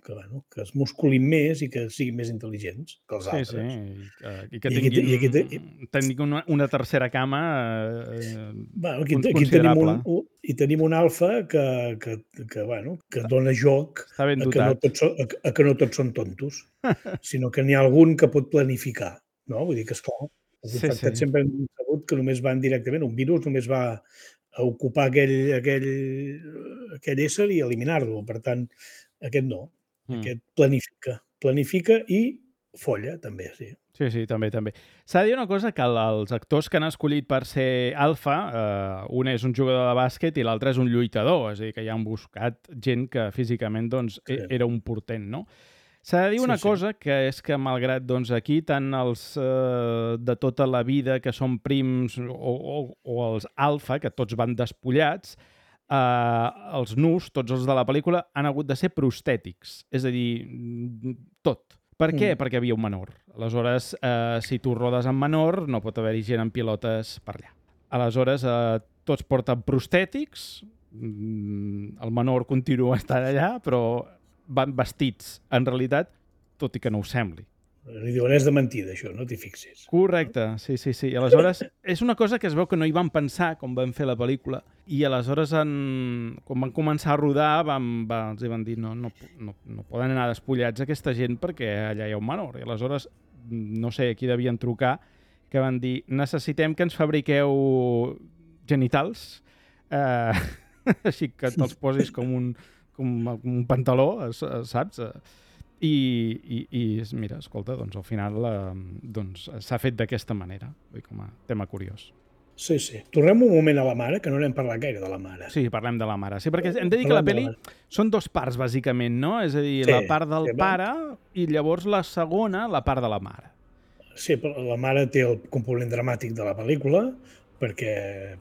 que, bueno, que es musculin més i que siguin més intel·ligents que els sí, altres. Sí, i que tinguin, I aquí, i aquí, tinguin una, una tercera cama eh, bueno, aquí, aquí tenim un, un, i tenim un alfa que, que, que, bueno, que dona joc a que, no tots, a, a que no tots són tontos, sinó que n'hi ha algun que pot planificar. No? Vull dir que, esclar, els sí, infectats sí. sempre hem sabut que només van directament, un virus només va a ocupar aquell, aquell, aquell ésser i eliminar-lo. Per tant, aquest no. Mm. Aquest planifica. Planifica i folla, també, sí. Sí, sí, també, també. S'ha de dir una cosa, que els actors que han escollit per ser alfa, eh, un és un jugador de bàsquet i l'altre és un lluitador, és a dir, que ja han buscat gent que físicament doncs, sí. era un portent, no? S'ha de dir una sí, sí. cosa, que és que malgrat doncs, aquí tant els eh, de tota la vida que són prims o, o, o els alfa, que tots van despullats, eh, els nus, tots els de la pel·lícula, han hagut de ser prostètics. És a dir, tot. Per què? Mm. Perquè havia un menor. Aleshores, eh, si tu rodes amb menor, no pot haver-hi gent en pilotes per allà. Aleshores, eh, tots porten prostètics, el menor continua estant allà, però van vestits, en realitat, tot i que no ho sembli. Li diuen, és de mentida, això, no t'hi fixis. Correcte, sí, sí, sí. Aleshores, és una cosa que es veu que no hi van pensar quan van fer la pel·lícula, i aleshores, en... quan van començar a rodar, van, van, els van dir, no, no, no, no poden anar despullats aquesta gent perquè allà hi ha un menor. I aleshores, no sé, aquí devien trucar, que van dir, necessitem que ens fabriqueu genitals, eh, així que te'ls posis com un... com un pantaló, saps? I, i, i mira, escolta, doncs al final eh, doncs, s'ha fet d'aquesta manera, com a tema curiós. Sí, sí. Tornem un moment a la mare, que no n'hem parlat gaire de la mare. Sí, parlem de la mare. Sí, perquè hem de dir que la pel·li són dos parts, bàsicament, no? És a dir, sí, la part del sí, pare i llavors la segona, la part de la mare. Sí, però la mare té el component dramàtic de la pel·lícula, perquè,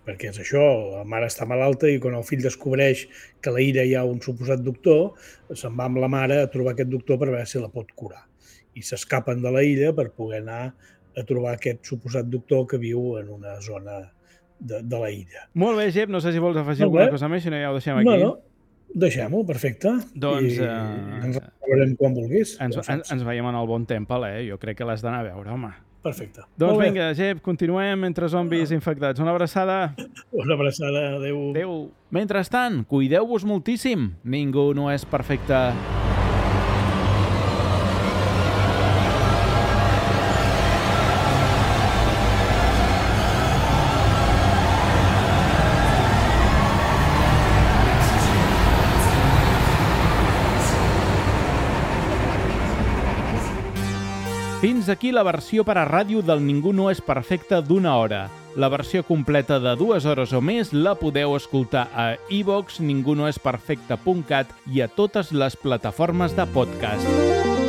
perquè és això, la mare està malalta i quan el fill descobreix que a la illa hi ha un suposat doctor, se'n va amb la mare a trobar aquest doctor per veure si la pot curar. I s'escapen de la illa per poder anar a trobar aquest suposat doctor que viu en una zona de, de la illa. Molt bé, Jep, no sé si vols afegir alguna cosa més, si no ja ho deixem aquí. No, no. Deixem-ho, perfecte. Doncs... I uh, ens veurem quan vulguis. Ens, ens, ens veiem en el Bon Temple, eh? Jo crec que l'has d'anar a veure, home. Perfecte. Doncs vinga, Jep, continuem entre zombis infectats. Una abraçada. Una abraçada, adeu. Adeu. Mentrestant, cuideu-vos moltíssim. Ningú no és perfecte. Fins aquí la versió per a ràdio del Ningú no és perfecte d'una hora. La versió completa de dues hores o més la podeu escoltar a iVox, ningunoesperfecte punt cat i a totes les plataformes de podcast.